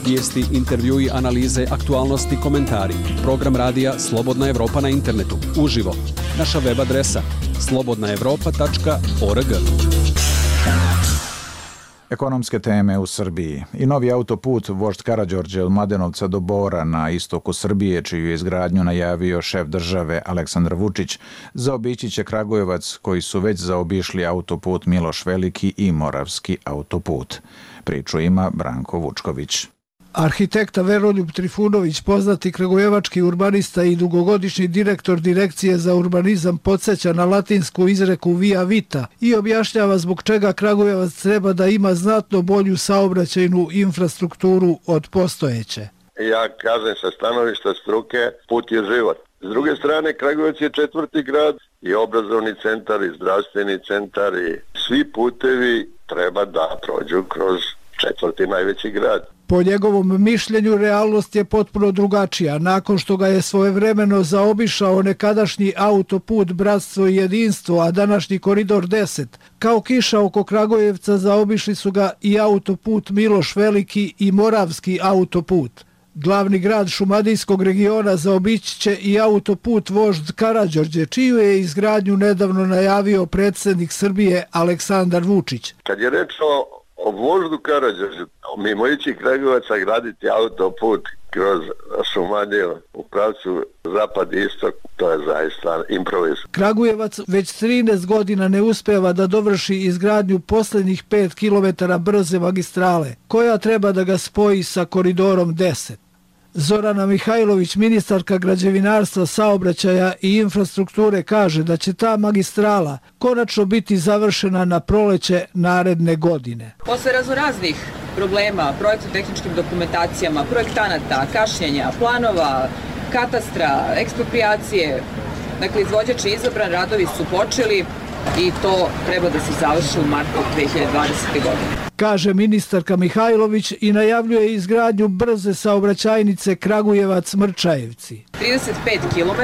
Vijesti, intervjui, analize, aktualnosti, komentari. Program radija Slobodna Evropa na internetu. Uživo. Naša web adresa slobodnaevropa.org. Ekonomske teme u Srbiji. I novi autoput Vožd Karađorđe od Mladenovca do Bora na istoku Srbije, čiju je izgradnju najavio šef države Aleksandar Vučić, zaobići će Kragujevac, koji su već zaobišli autoput Miloš Veliki i Moravski autoput. Priču ima Branko Vučković. Arhitekta Veroljub Trifunović, poznati kragujevački urbanista i dugogodišnji direktor Direkcije za urbanizam, podsjeća na latinsku izreku via vita i objašnjava zbog čega Kragujevac treba da ima znatno bolju saobraćajnu infrastrukturu od postojeće. Ja kažem sa stanovišta struke, put je život. S druge strane, Kragujevac je 4. grad i obrazovni centar i zdravstveni centar i svi putevi treba da prođu kroz 4. najveći grad. Po njegovom mišljenju, realnost je potpuno drugačija. Nakon što ga je svojevremeno zaobišao nekadašnji autoput Bratstvo i jedinstvo, a današnji koridor 10, kao kiša oko Kragujevca zaobišli su ga i autoput Miloš Veliki i Moravski autoput. Glavni grad šumadijskog regiona zaobići će i autoput Vožd Karađorđe, čiju je izgradnju nedavno najavio predsjednik Srbije Aleksandar Vučić. Kad je reč o Voždu Karađorđe, mimo ići Kragujevaca graditi autoput kroz Šumadiju u pravcu zapad i istok, to je zaista improviz. Kragujevac već 13 godina ne uspeva da dovrši izgradnju posljednjih 5 km brze magistrale, koja treba da ga spoji sa koridorom 10. Zorana Mihajlović, ministarka građevinarstva, saobraćaja i infrastrukture, kaže da će ta magistrala konačno biti završena na proleće naredne godine. Posle raznoraznih problema, projektno-tehničkim dokumentacijama, projektanata, kašnjenja, planova, katastra, ekspropriacije, dakle izvođač je izabran, radovi su počeli i to treba da se završi u martu 2020. godine. Kaže ministarka Mihajlović i najavljuje izgradnju brze saobraćajnice Kragujevac-Mrčajevci. 35 km,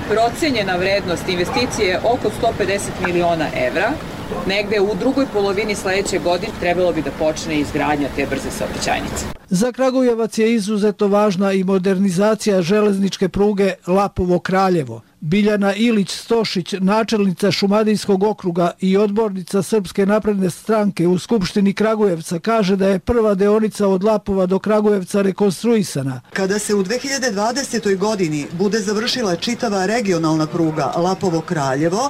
procenjena vrednost investicije je oko 150 miliona evra. Negde u drugoj polovini sledeće godine trebalo bi da počne izgradnja te brze saobraćajnice. Za Kragujevac je izuzetno važna i modernizacija železničke pruge Lapovo-Kraljevo. Biljana Ilić-Stošić, načelnica Šumadijskog okruga i odbornica Srpske napredne stranke u Skupštini Kragujevca, kaže da je prva deonica od Lapova do Kragujevca rekonstruisana. Kada se u 2020. godini bude završila čitava regionalna pruga Lapovo-Kraljevo,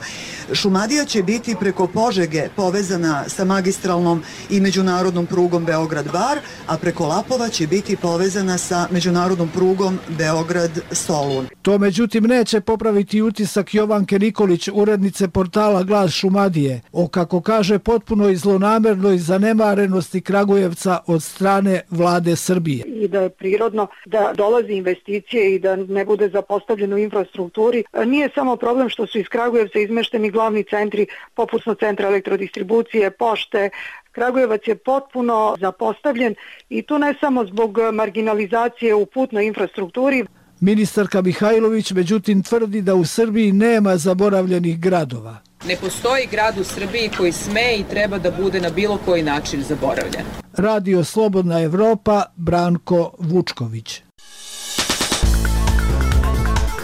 Šumadija će biti preko Požege povezana sa magistralnom i međunarodnom prugom Beograd-Bar, a preko Lapova će biti povezana sa međunarodnom prugom Beograd-Solun. To međutim neće popraviti utisak Jovanke Nikolić, urednice portala Glas Šumadije, o, kako kaže, potpunoj zlonamernoj zanemarenosti Kragujevca od strane vlade Srbije. I da je prirodno da dolazi investicije i da ne bude zapostavljeno u infrastrukturi. Nije samo problem što su iz Kragujevca izmešteni glavni centri, popusno centra elektrodistribucije, pošte, Kragujevac je potpuno zapostavljen i tu ne samo zbog marginalizacije u putnoj infrastrukturi. Ministarka Mihajlović međutim tvrdi da u Srbiji nema zaboravljenih gradova. Ne postoji grad u Srbiji koji sme i treba da bude na bilo koji način zaboravljen. Radio Slobodna Evropa, Branko Vučković.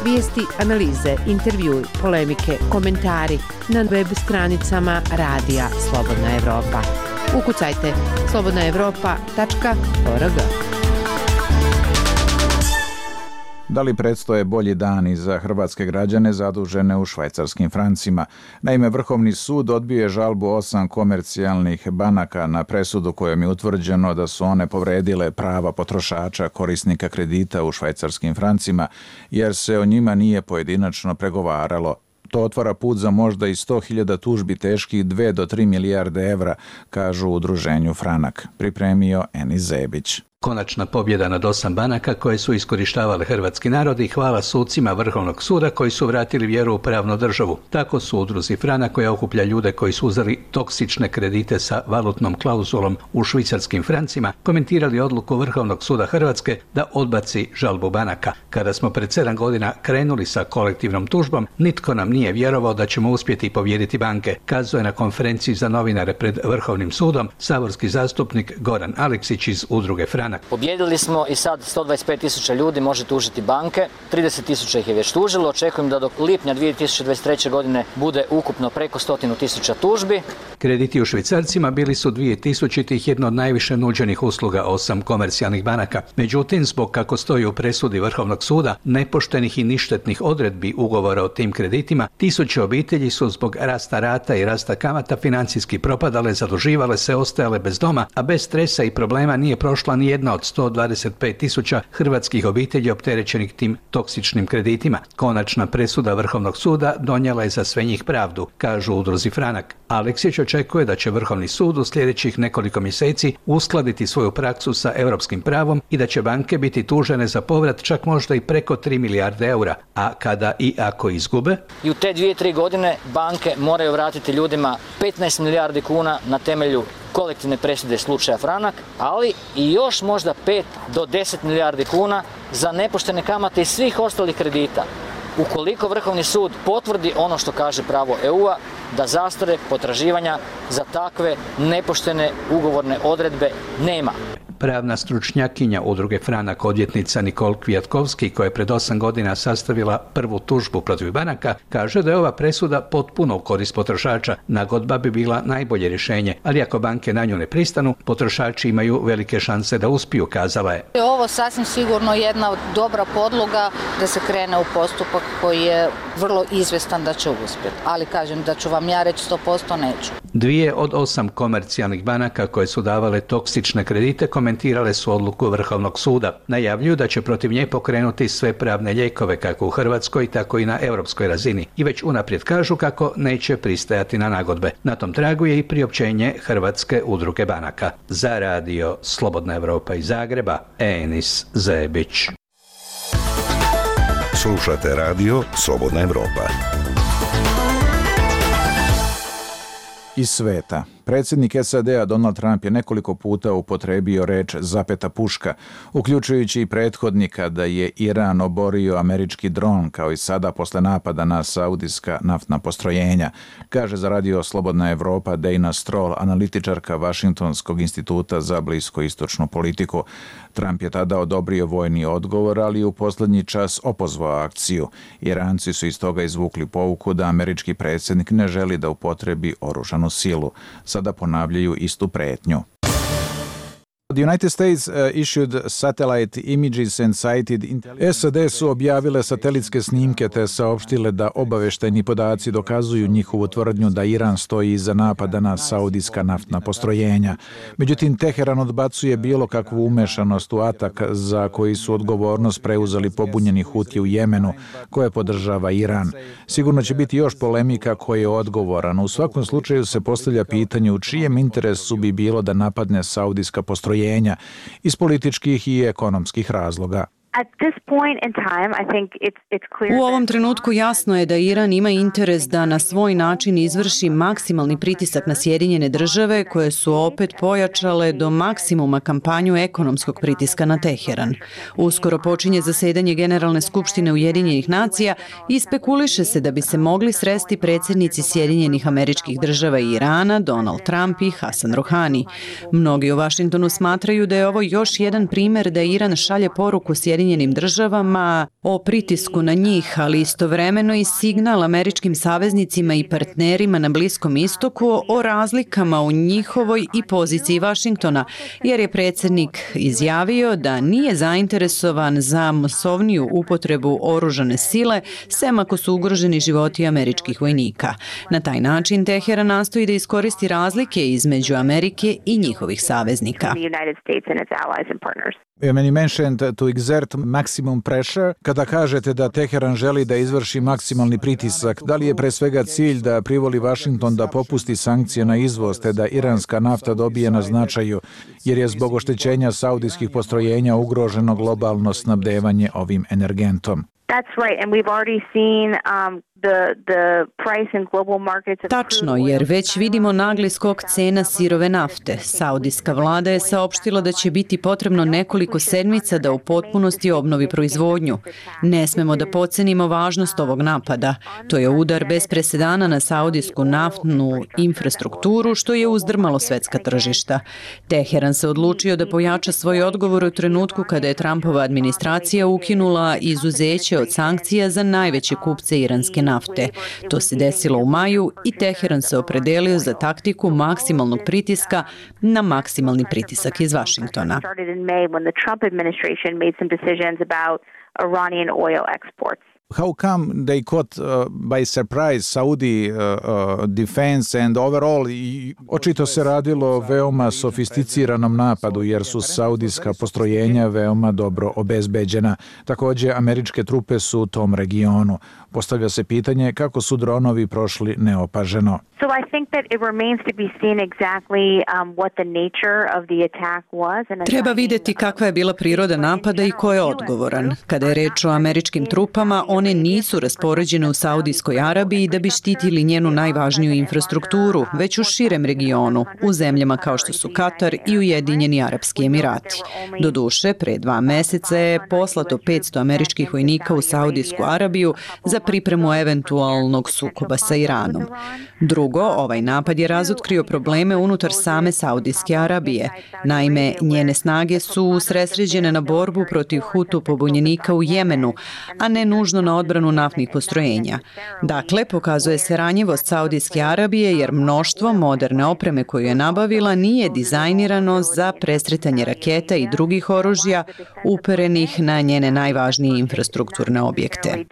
Vijesti, analize, intervjui, polemike, komentari na web stranicama Radija Slobodna Evropa. Ukucajte slobodnaevropa.org. Da li predstoje bolji dani za hrvatske građane zadužene u švajcarskim francima? Naime, Vrhovni sud odbio je žalbu 8 komercijalnih banaka na presudu kojom je utvrđeno da su one povredile prava potrošača korisnika kredita u švajcarskim francima, jer se o njima nije pojedinačno pregovaralo. To otvara put za možda i 100.000 tužbi teških 2 do 3 milijarde evra, kažu u udruženju Franak. Pripremio Enis Zebić. Konačna pobjeda nad 8 banaka koje su iskorištavale hrvatski narod i hvala sucima Vrhovnog suda koji su vratili vjeru u pravnu državu. Tako su udruzi Franak koja okuplja ljude koji su uzeli toksične kredite sa valutnom klauzulom u švicarskim francima komentirali odluku Vrhovnog suda Hrvatske da odbaci žalbu banaka. Kada smo pred 7 godina krenuli sa kolektivnom tužbom, nitko nam nije vjerovao da ćemo uspjeti pobijediti banke, kazuje na konferenciji za novinare pred Vrhovnim sudom saborski zastupnik Goran Aleksić iz udruge Franak. Pobjedili smo i sad 125.000 ljudi može tužiti banke, 30.000 ih je već tužilo, očekujem da do lipnja 2023. godine bude ukupno preko 100.000 tužbi. Krediti u švicarcima bili su 2000-ih jedno od najviše nuđenih usluga 8 komercijalnih banaka. Međutim, zbog kako stoji u presudi Vrhovnog suda, nepoštenih i ništetnih odredbi ugovora o tim kreditima, tisuće obitelji su zbog rasta rata i rasta kamata financijski propadale, zaduživale se, ostajale bez doma, a bez stresa i problema nije prošla ni jedna od 125.000 hrvatskih obitelji opterećenih tim toksičnim kreditima. Konačna presuda Vrhovnog suda donijela je za sve njih pravdu, kažu udruzi Franak. Aleksić očekuje da će Vrhovni sud u sljedećih nekoliko mjeseci uskladiti svoju praksu sa europskim pravom i da će banke biti tužene za povrat čak možda i preko 3 milijarde eura, a kada i ako izgube? I u te 2-3 godine banke moraju vratiti ljudima 15 milijardi kuna na temelju kolektivne presude slučaja Franak, ali i još možda 5 do 10 milijardi kuna za nepoštene kamate i svih ostalih kredita. Ukoliko Vrhovni sud potvrdi ono što kaže pravo EU-a, da zastare potraživanja za takve nepoštene ugovorne odredbe nema. Pravna stručnjakinja udruge Franak, odvjetnica Nikol Kvjatkovski, koja je pred 8 godina sastavila prvu tužbu protiv banaka, kaže da je ova presuda potpuno u korist potrošača. Nagodba bi bila najbolje rješenje, ali ako banke na nju ne pristanu, potrošači imaju velike šanse da uspiju, kazala je. Ovo sasvim sigurno jedna dobra podloga da se krene u postupak koji je vrlo izvjestan da će uspjeti. Ali kažem da ću vam ja reći 100% neću. 2 od 8 komercijalnih banaka koje su davale toksične kredite komentirale su odluku Vrhovnog suda. Najavljuju da će protiv nje pokrenuti sve pravne lijekove kako u Hrvatskoj, tako i na europskoj razini. I već unaprijed kažu kako neće pristajati na nagodbe. Na tom tragu je i priopćenje Hrvatske udruge banaka. Za radio Slobodna Evropa iz Zagreba, Enis Zebić. Slušate radio Slobodna Evropa. Iz sveta. Predsjednik SAD-a Donald Trump je nekoliko puta upotrijebio reč zapeta puška, uključujući i prethodnika da je Iran oborio američki dron, kao i sada posle napada na saudijska naftna postrojenja, kaže za radio Slobodna Evropa Dana Stroll, analitičarka Vašingtonskog instituta za bliskoistočnu politiku. Trump je tada odobrio vojni odgovor, ali u posljednji čas opozvao akciju. Iranci su iz toga izvukli pouku da američki predsjednik ne želi da upotrebi oružanu silu. Sada ponavljaju istu pretnju. The United States issued satellite images and cited SAD su objavile satelitske snimke te saopštile da obaveštajni podaci dokazuju njihovu tvrdnju da Iran stoji iza napada na saudijska naftna postrojenja. Međutim, Teheran odbacuje bilo kakvu umešanost u atak za koji su odgovornost preuzeli pobunjeni Huti u Jemenu, koje podržava Iran. Sigurno će biti još polemika ko je odgovoran. U svakom slučaju se postavlja pitanje u čijem interesu bi bilo da napadne saudijska postrojenja iz političkih i ekonomskih razloga. U ovom trenutku jasno je da Iran ima interes da na svoj način izvrši maksimalni pritisak na Sjedinjene države koje su opet pojačale do maksimuma kampanju ekonomskog pritiska na Teheran. Uskoro počinje zasedanje Generalne skupštine Ujedinjenih nacija i spekuliše se da bi se mogli sresti predsjednici Sjedinjenih Američkih Država i Irana, Donald Trump i Hasan Rouhani. Mnogi u Vašingtonu smatraju da je ovo još jedan primjer da Iran šalje poruku Sjedinjenim državama o pritisku na njih, ali istovremeno i signal američkim saveznicima i partnerima na Bliskom istoku o razlikama u njihovoj i poziciji Vašingtona, jer je predsjednik izjavio da nije zainteresovan za masovniju upotrebu oružane sile, sem ako su ugroženi životi američkih vojnika. Na taj način Teheran nastoji da iskoristi razlike između Amerike i njihovih saveznika. You mentioned to exert maximum pressure. Kada kažete da Teheran želi da izvrši maksimalni pritisak, da li je pre svega cilj da privoli Vašington da popusti sankcije na izvoz te da iranska nafta dobije na značaju, jer je zbog oštećenja saudijskih postrojenja ugroženo globalno snabdevanje ovim energentom? Tačno, jer već vidimo nagli skok cena sirove nafte. Saudijska vlada je saopštila da će biti potrebno nekoliko sedmica da u potpunosti obnovi proizvodnju. Ne smemo da podcenimo važnost ovog napada. To je udar bez presedana na saudijsku naftnu infrastrukturu, što je uzdrmalo svetska tržišta. Teheran se odlučio da pojača svoj odgovor u trenutku kada je Trumpova administracija ukinula izuzeće od sankcija za najveće kupce iranske nafte. To se desilo u maju i Teheran se opredelio za taktiku maksimalnog pritiska na maksimalni pritisak iz Vašingtona. How come they caught by surprise Saudi defense and overall? Očito se radilo o veoma sofisticiranom napadu jer su saudijska postrojenja veoma dobro obezbeđena. Također, američke trupe su u tom regionu. Postavlja se pitanje kako su dronovi prošli neopaženo. Treba vidjeti kakva je bila priroda napada i ko je odgovoran. Kada je reč o američkim trupama, one nisu raspoređene u Saudijskoj Arabiji da bi štitili njenu najvažniju infrastrukturu, već u širem regionu, u zemljama kao što su Katar i Ujedinjeni Arapski Emirati. Doduše, pre 2 meseca je poslato 500 američkih vojnika u Saudijsku Arabiju za pripremu eventualnog sukoba sa Iranom. Drugo, ovaj napad je razotkrio probleme unutar same Saudijske Arabije. Naime, njene snage su usredsređene na borbu protiv Hutu pobunjenika u Jemenu, a ne nužno na odbranu naftnih postrojenja. Dakle, pokazuje se ranjivost Saudijske Arabije jer mnoštvo moderne opreme koju je nabavila nije dizajnirano za presretanje raketa i drugih oružja uperenih na njene najvažnije infrastrukturne objekte.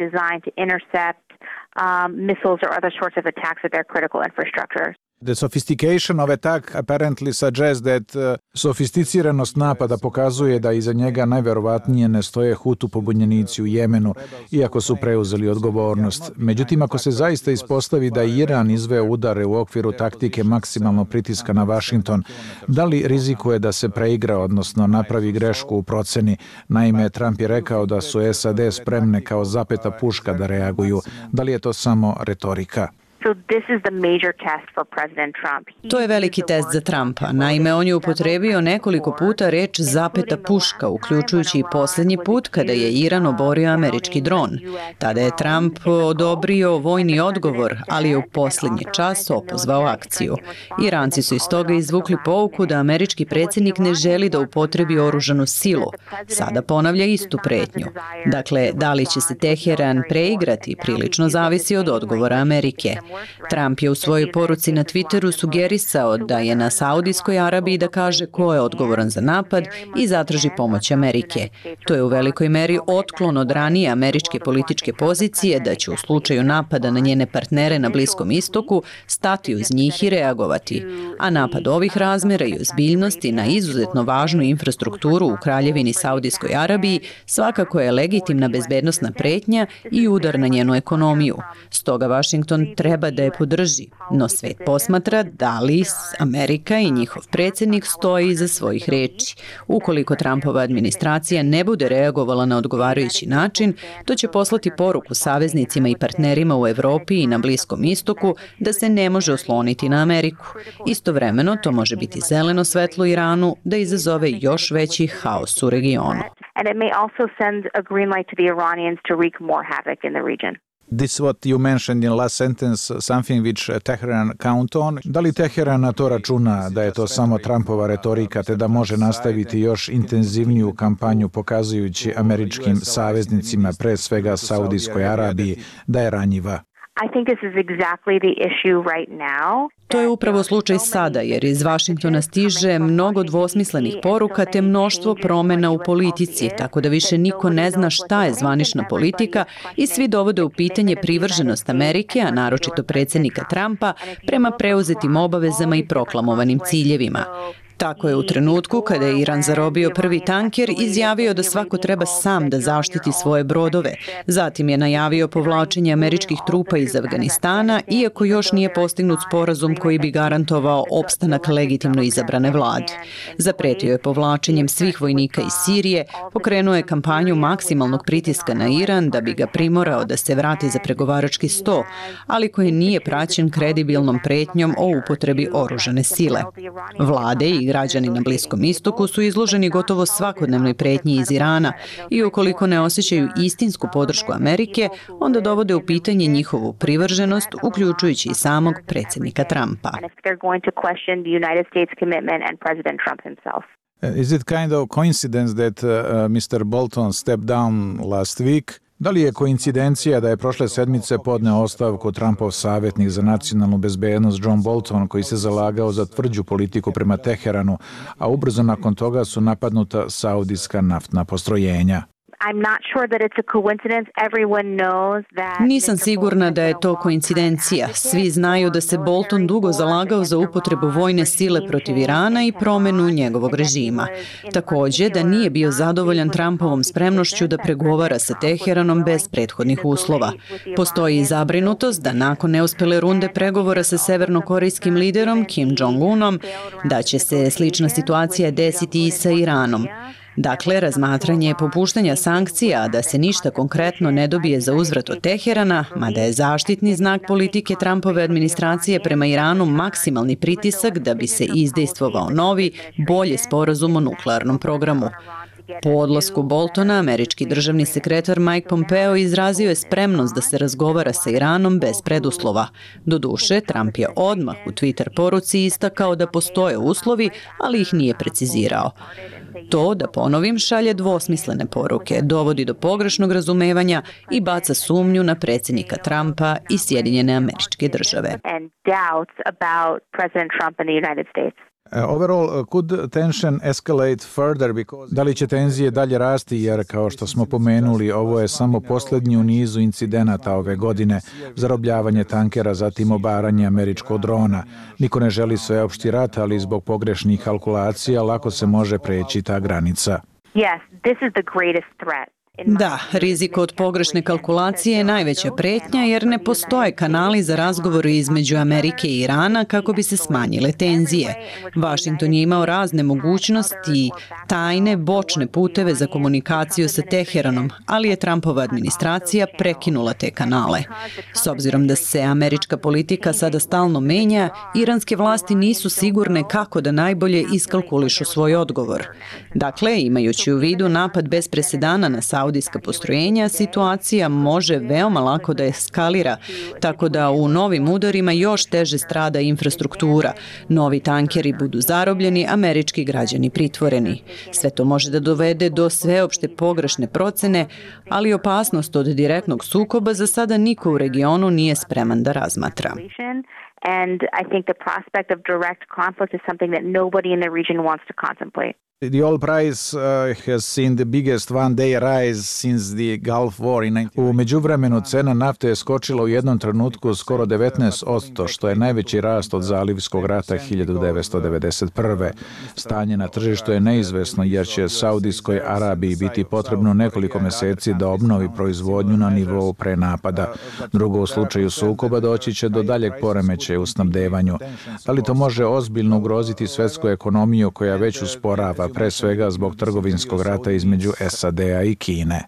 Missiles or other sorts of attacks at their critical infrastructure. The sophistication of attack apparently suggests that sofisticiranost napada pokazuje da iza njega najverovatnije ne stoje Hutu pobunjenici u Jemenu, iako su preuzeli odgovornost. Međutim, ako se zaista ispostavi da Iran izveo udare u okviru taktike maksimalnog pritiska na Vašington, da li rizikuje da se preigra, odnosno napravi grešku u proceni? Naime, Trump je rekao da su SAD spremne kao zapeta puška da reaguju. Da li je to samo retorika? To je veliki test za Trumpa. Naime, on je upotrebio nekoliko puta reč zapeta puška, uključujući i posljednji put kada je Iran oborio američki dron. Tada je Trump odobrio vojni odgovor, ali je u posljednji čas opozvao akciju. Iranci su iz toga izvukli pouku da američki predsjednik ne želi da upotrebi oružanu silu. Sada ponavlja istu pretnju. Dakle, da li će se Teheran preigrati, prilično zavisi od odgovora Amerike. Trump je u svojoj poruci na Twitteru sugerisao da je na Saudijskoj Arabiji da kaže ko je odgovoran za napad i zatraži pomoć Amerike. To je u velikoj meri otklon od ranije američke političke pozicije da će u slučaju napada na njene partnere na Bliskom istoku stati uz njih i reagovati. A napad ovih razmjera i ozbiljnosti na izuzetno važnu infrastrukturu u Kraljevini Saudijskoj Arabiji svakako je legitimna bezbednosna pretnja i udar na njenu ekonomiju. Stoga Washington treba treba da je podrži, no svet posmatra da li Amerika i njihov predsjednik stoji iza svojih reči. Ukoliko Trumpova administracija ne bude reagovala na odgovarajući način, to će poslati poruku saveznicima i partnerima u Evropi i na Bliskom istoku da se ne može osloniti na Ameriku. Istovremeno, to može biti zeleno svetlo Iranu da izazove još veći haos u regionu. And it may also send a green light to the Iranians to wreak more havoc in the region. This what you mentioned in last sentence, something which Tehran count on. Da li Teheran na to računa da je to samo Trumpova retorika te da može nastaviti još intenzivniju kampanju pokazujući američkim saveznicima, pre svega Saudijskoj Arabiji, da je ranjiva? I think this is exactly the issue right now. To je upravo slučaj sada, jer iz Vašingtona stiže mnogo dvosmislenih poruka te mnoštvo promjena u politici, tako da više niko ne zna šta je zvanična politika i svi dovode u pitanje privrženost Amerike, a naročito predsjednika Trumpa, prema preuzetim obavezama i proklamovanim ciljevima. Tako je u trenutku kada je Iran zarobio prvi tanker izjavio da svako treba sam da zaštiti svoje brodove. Zatim je najavio povlačenje američkih trupa iz Afganistana, iako još nije postignut sporazum koji bi garantovao opstanak legitimno izabrane vlade. Zapretio je povlačenjem svih vojnika iz Sirije, pokrenuo je kampanju maksimalnog pritiska na Iran da bi ga primorao da se vrati za pregovarački sto, ali koji nije praćen kredibilnom pretnjom o upotrebi oružane sile. Vlade i građani na Bliskom istoku su izloženi gotovo svakodnevnoj pretnji iz Irana i ukoliko ne osjećaju istinsku podršku Amerike, onda dovode u pitanje njihovu privrženost, uključujući i samog predsjednika Trumpa. Is it kind of coincidence that Mr. Bolton stepped down last week? Da li je koincidencija da je prošle sedmice podneo ostavku Trumpov savjetnik za nacionalnu bezbednost John Bolton, koji se zalagao za tvrđu politiku prema Teheranu, a ubrzo nakon toga su napadnuta saudijska naftna postrojenja? Nisam sigurna da je to koincidencija. Svi znaju da se Bolton dugo zalagao za upotrebu vojne sile protiv Irana i promjenu njegovog režima. Također da nije bio zadovoljan Trumpovom spremnošću da pregovara sa Teheranom bez prethodnih uslova. Postoji i zabrinutost da nakon neuspjele runde pregovora sa severnokorejskim liderom Kim Jong-unom, da će se slična situacija desiti i sa Iranom. Dakle, razmatranje popuštanja sankcija, da se ništa konkretno ne dobije za uzvrat od Teherana, mada je zaštitni znak politike Trumpove administracije prema Iranu maksimalni pritisak da bi se izdejstvovao novi, bolji sporazum o nuklearnom programu. Po odlasku Boltona, američki državni sekretar Mike Pompeo izrazio je spremnost da se razgovara sa Iranom bez preduslova. Doduše, Trump je odmah u Twitter poruci istakao da postoje uslovi, ali ih nije precizirao. To, da ponovim, šalje dvosmislene poruke, dovodi do pogrešnog razumevanja i baca sumnju na predsjednika Trumpa i Sjedinjene Američke Države. Overall, could tension escalate further because da li će tenzije dalje rasti jer, kao što smo pomenuli, ovo je samo posljednji u nizu incidenata ove godine, zarobljavanje tankera, zatim obaranje američkog drona. Niko ne želi sveopšti rat, ali zbog pogrešnih kalkulacija lako se može preći ta granica. Yes, this is the greatest threat. Da, rizik od pogrešne kalkulacije je najveća pretnja jer ne postoje kanali za razgovor između Amerike i Irana kako bi se smanjile tenzije. Washington je imao razne mogućnosti i tajne, bočne puteve za komunikaciju sa Teheranom, ali je Trumpova administracija prekinula te kanale. S obzirom da se američka politika sada stalno menja, iranske vlasti nisu sigurne kako da najbolje iskalkulišu svoj odgovor. Dakle, imajući u vidu napad bez presedana na saudijska postrojenja, situacija može veoma lako da eskalira, tako da u novim udarima još teže strada infrastruktura. Novi tankeri budu zarobljeni, američki građani pritvoreni. Sve to može da dovede do sveopšte pogrešne procene, ali opasnost od direktnog sukoba za sada niko u regionu nije spreman da razmatra. And I think the prospect of direct conflict is something that nobody in the region wants to contemplate. The oil price has seen the biggest one-day rise since the Gulf War in 19... U međuvremenu cena nafte je skočila u jednom trenutku skoro 19%, što je najveći rast od Zalivskog rata 1991. Stanje na tržištu je neizvesno jer će Saudijskoj Arabiji biti potrebno nekoliko meseci da obnovi proizvodnju na nivou pre napada. Drugo, u slučaju sukoba doći će do daljeg poremećaja u snabdevanju. Da li to može ozbiljno ugroziti svetsku ekonomiju koja već usporava, pre svega zbog trgovinskog rata između SAD-a i Kine?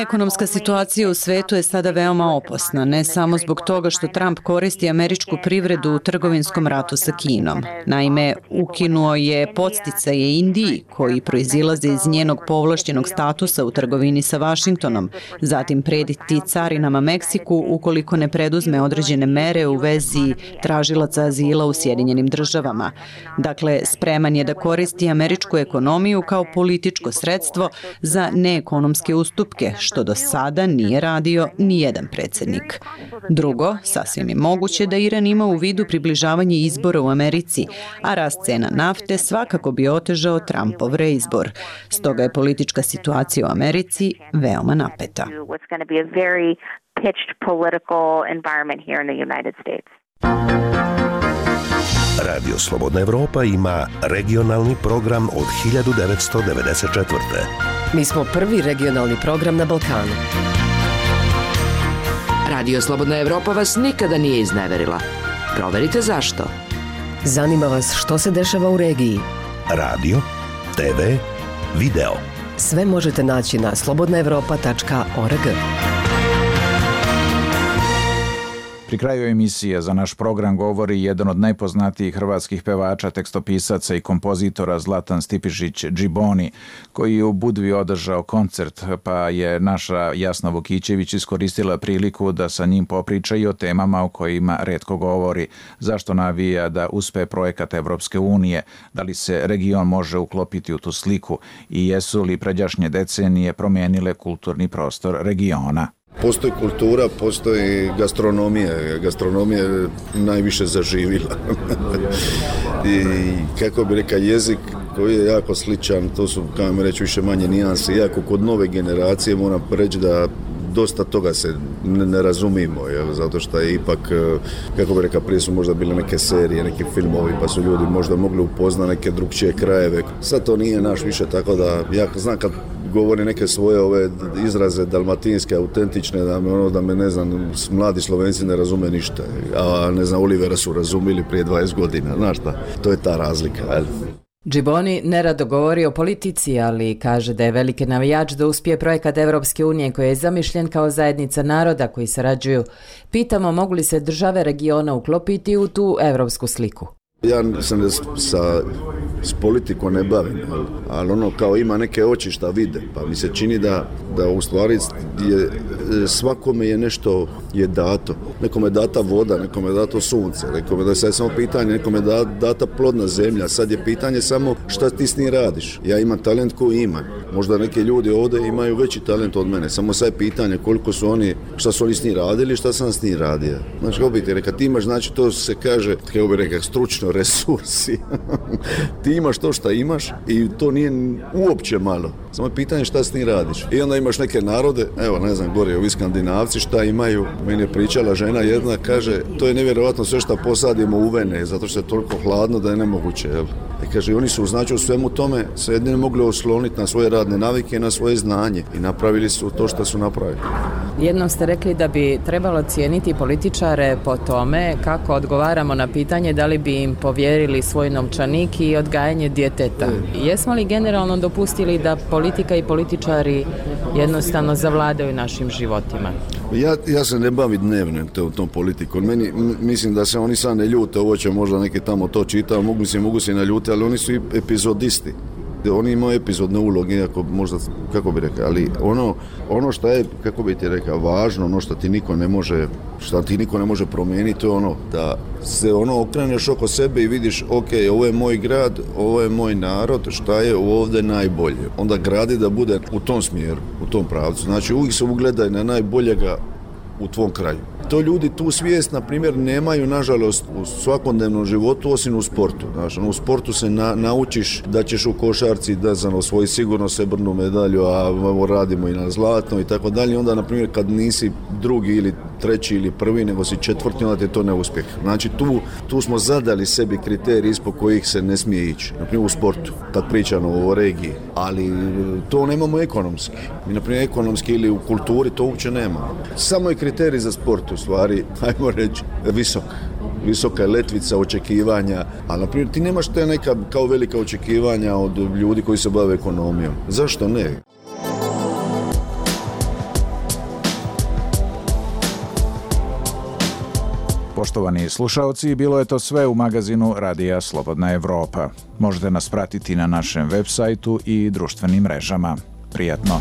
Ekonomska situacija u svetu je sada veoma opasna, ne samo zbog toga što Trump koristi američku privredu u trgovinskom ratu sa Kinom. Naime, ukinuo je podsticaje Indiji, koji proizilaze iz njenog povlašćenog statusa u trgovini sa Vašingtonom, zatim prediti carinama Meksiku ukoliko ne preduzme određene mere u vezi tražilaca azila u Sjedinjenim državama. Dakle, spreman je da koristi američku ekonomiju kao političko sredstvo za neekonomske ustupke, što do sada nije radio nijedan predsjednik. Drugo, sasvim je moguće da Iran ima u vidu približavanje izbora u Americi, a rast cena nafte svakako bi otežao Trumpov reizbor. Stoga je politička situacija u Americi veoma napeta. Radio Slobodna Evropa ima regionalni program od 1994. Mi smo prvi regionalni program na Balkanu. Radio Slobodna Evropa vas nikada nije izneverila. Proverite zašto. Zanima vas što se dešava u regiji. Radio, TV, video. Sve možete naći na slobodnaevropa.org. Pri kraju emisije za naš program govori jedan od najpoznatijih hrvatskih pevača, tekstopisaca i kompozitora Zlatan Stipišić Džiboni, koji je u Budvi održao koncert, pa je naša Jasna Vukićević iskoristila priliku da sa njim popriča i o temama o kojima retko govori. Zašto navija da uspe projekat Evropske unije, da li se region može uklopiti u tu sliku i jesu li pređašnje decenije promijenile kulturni prostor regiona. Postoji kultura, postoji gastronomija. Gastronomija je najviše zaživila. I kako bi rekao, jezik koji je jako sličan, to su, kao mi reći, više manje nijanse. Iako kod nove generacije moram reći da dosta toga se ne razumimo, zato što je ipak, kako bi rekao, prije su možda bile neke serije, neki filmovi, pa su ljudi možda mogli upoznati neke drugčije krajeve. Sad to nije naš više, tako da ja znam kad govori neke svoje ove izraze dalmatinske, autentične, da me ne znam, mladi Slovenci ne razume ništa, a ne znam, Olivera su razumili prije 20 godina, znaš šta, to je ta razlika, jel? Džiboni nerado govori o politici, ali kaže da je veliki navijač da uspije projekat Evropske unije koji je zamišljen kao zajednica naroda koji sarađuju. Pitamo mogu li se države regiona uklopiti u tu evropsku sliku. Ja sam s politikom ne bavim, ali ono kao ima neke oči šta vide, pa mi se čini da u stvari svakome je nešto je dato. Nekome je data voda, nekome je dato sunce, nekome da je sad samo pitanje, nekome je data plodna zemlja, sad je pitanje samo šta ti s njim radiš. Ja imam talent koji imam, možda neki ljudi ovdje imaju veći talent od mene, samo sad je pitanje koliko su oni, šta su oni s njim radili, šta sam s njim radio. Znači, kako bi ti rekao, ti imaš, znači to se kaže, kako bi rekao, stručno resursi. Ti imaš to što imaš i to nije uopće malo. Samo je pitanje šta s njim radiš. I onda imaš neke narode, evo ne znam, gore ovi Skandinavci šta imaju. Meni je pričala žena jedna, kaže, to je nevjerojatno sve što posadimo u vene, zato što je toliko hladno da je nemoguće. Jel? I kaže, oni su znači u svemu tome se jedine mogli osloniti na svoje radne navike i na svoje znanje i napravili su to što su napravili. Jednom ste rekli da bi trebalo cijeniti političare po tome kako odgovaramo na pitanje da li bi im povjerili svoj novčanik i odgajanje djeteta. Jesmo li generalno dopustili da politika i političari jednostavno zavladaju našim životima? Ja se ne bavim dnevno tom politikom. Mislim da se oni sad ne ljute, ovo će možda neki tamo to čitao, mogu se naljuti, ali oni su i epizodisti. Oni imaju epizodne uloge, iako možda, kako bi rekao, ali ono što je, kako bi ti rekao, važno, ono što ti niko ne može promijeniti, to je ono da se okreneš oko sebe i vidiš, ok, ovo je moj grad, ovo je moj narod, šta je ovdje najbolje. Onda gradi da bude u tom smjeru, u tom pravcu. Znači uvijek se ugledaj na najboljega u tvom kraju. to ljudi tu svijest, na primjer, nemaju, nažalost, u svakodnevnom životu, osim u sportu. Znači, u sportu se naučiš da ćeš u košarci da osvoji sigurno srebrnu medalju, a radimo i na zlatno i tako dalje. Onda, na primjer, kad nisi drugi ili treći ili prvi, nego si četvrti, onda ti je to neuspjeh. Znači, tu smo zadali sebi kriterije ispod kojih se ne smije ići. Na primjer, u sportu, kad pričamo o regiji. Ali to nemamo ekonomski. Mi, na primjer, ekonomski ili u kulturi to uopće nemamo. Samo je kriterij za sport, u stvari, ajmo reći, visoka je letvica očekivanja, ali, na primjer, ti nemaš te neka kao velika očekivanja od ljudi koji se bave ekonomijom. Zašto ne? Poštovani slušaoci, bilo je to sve u magazinu Radija Slobodna Evropa. Možete nas pratiti na našem web sajtu i društvenim mrežama. Prijatno!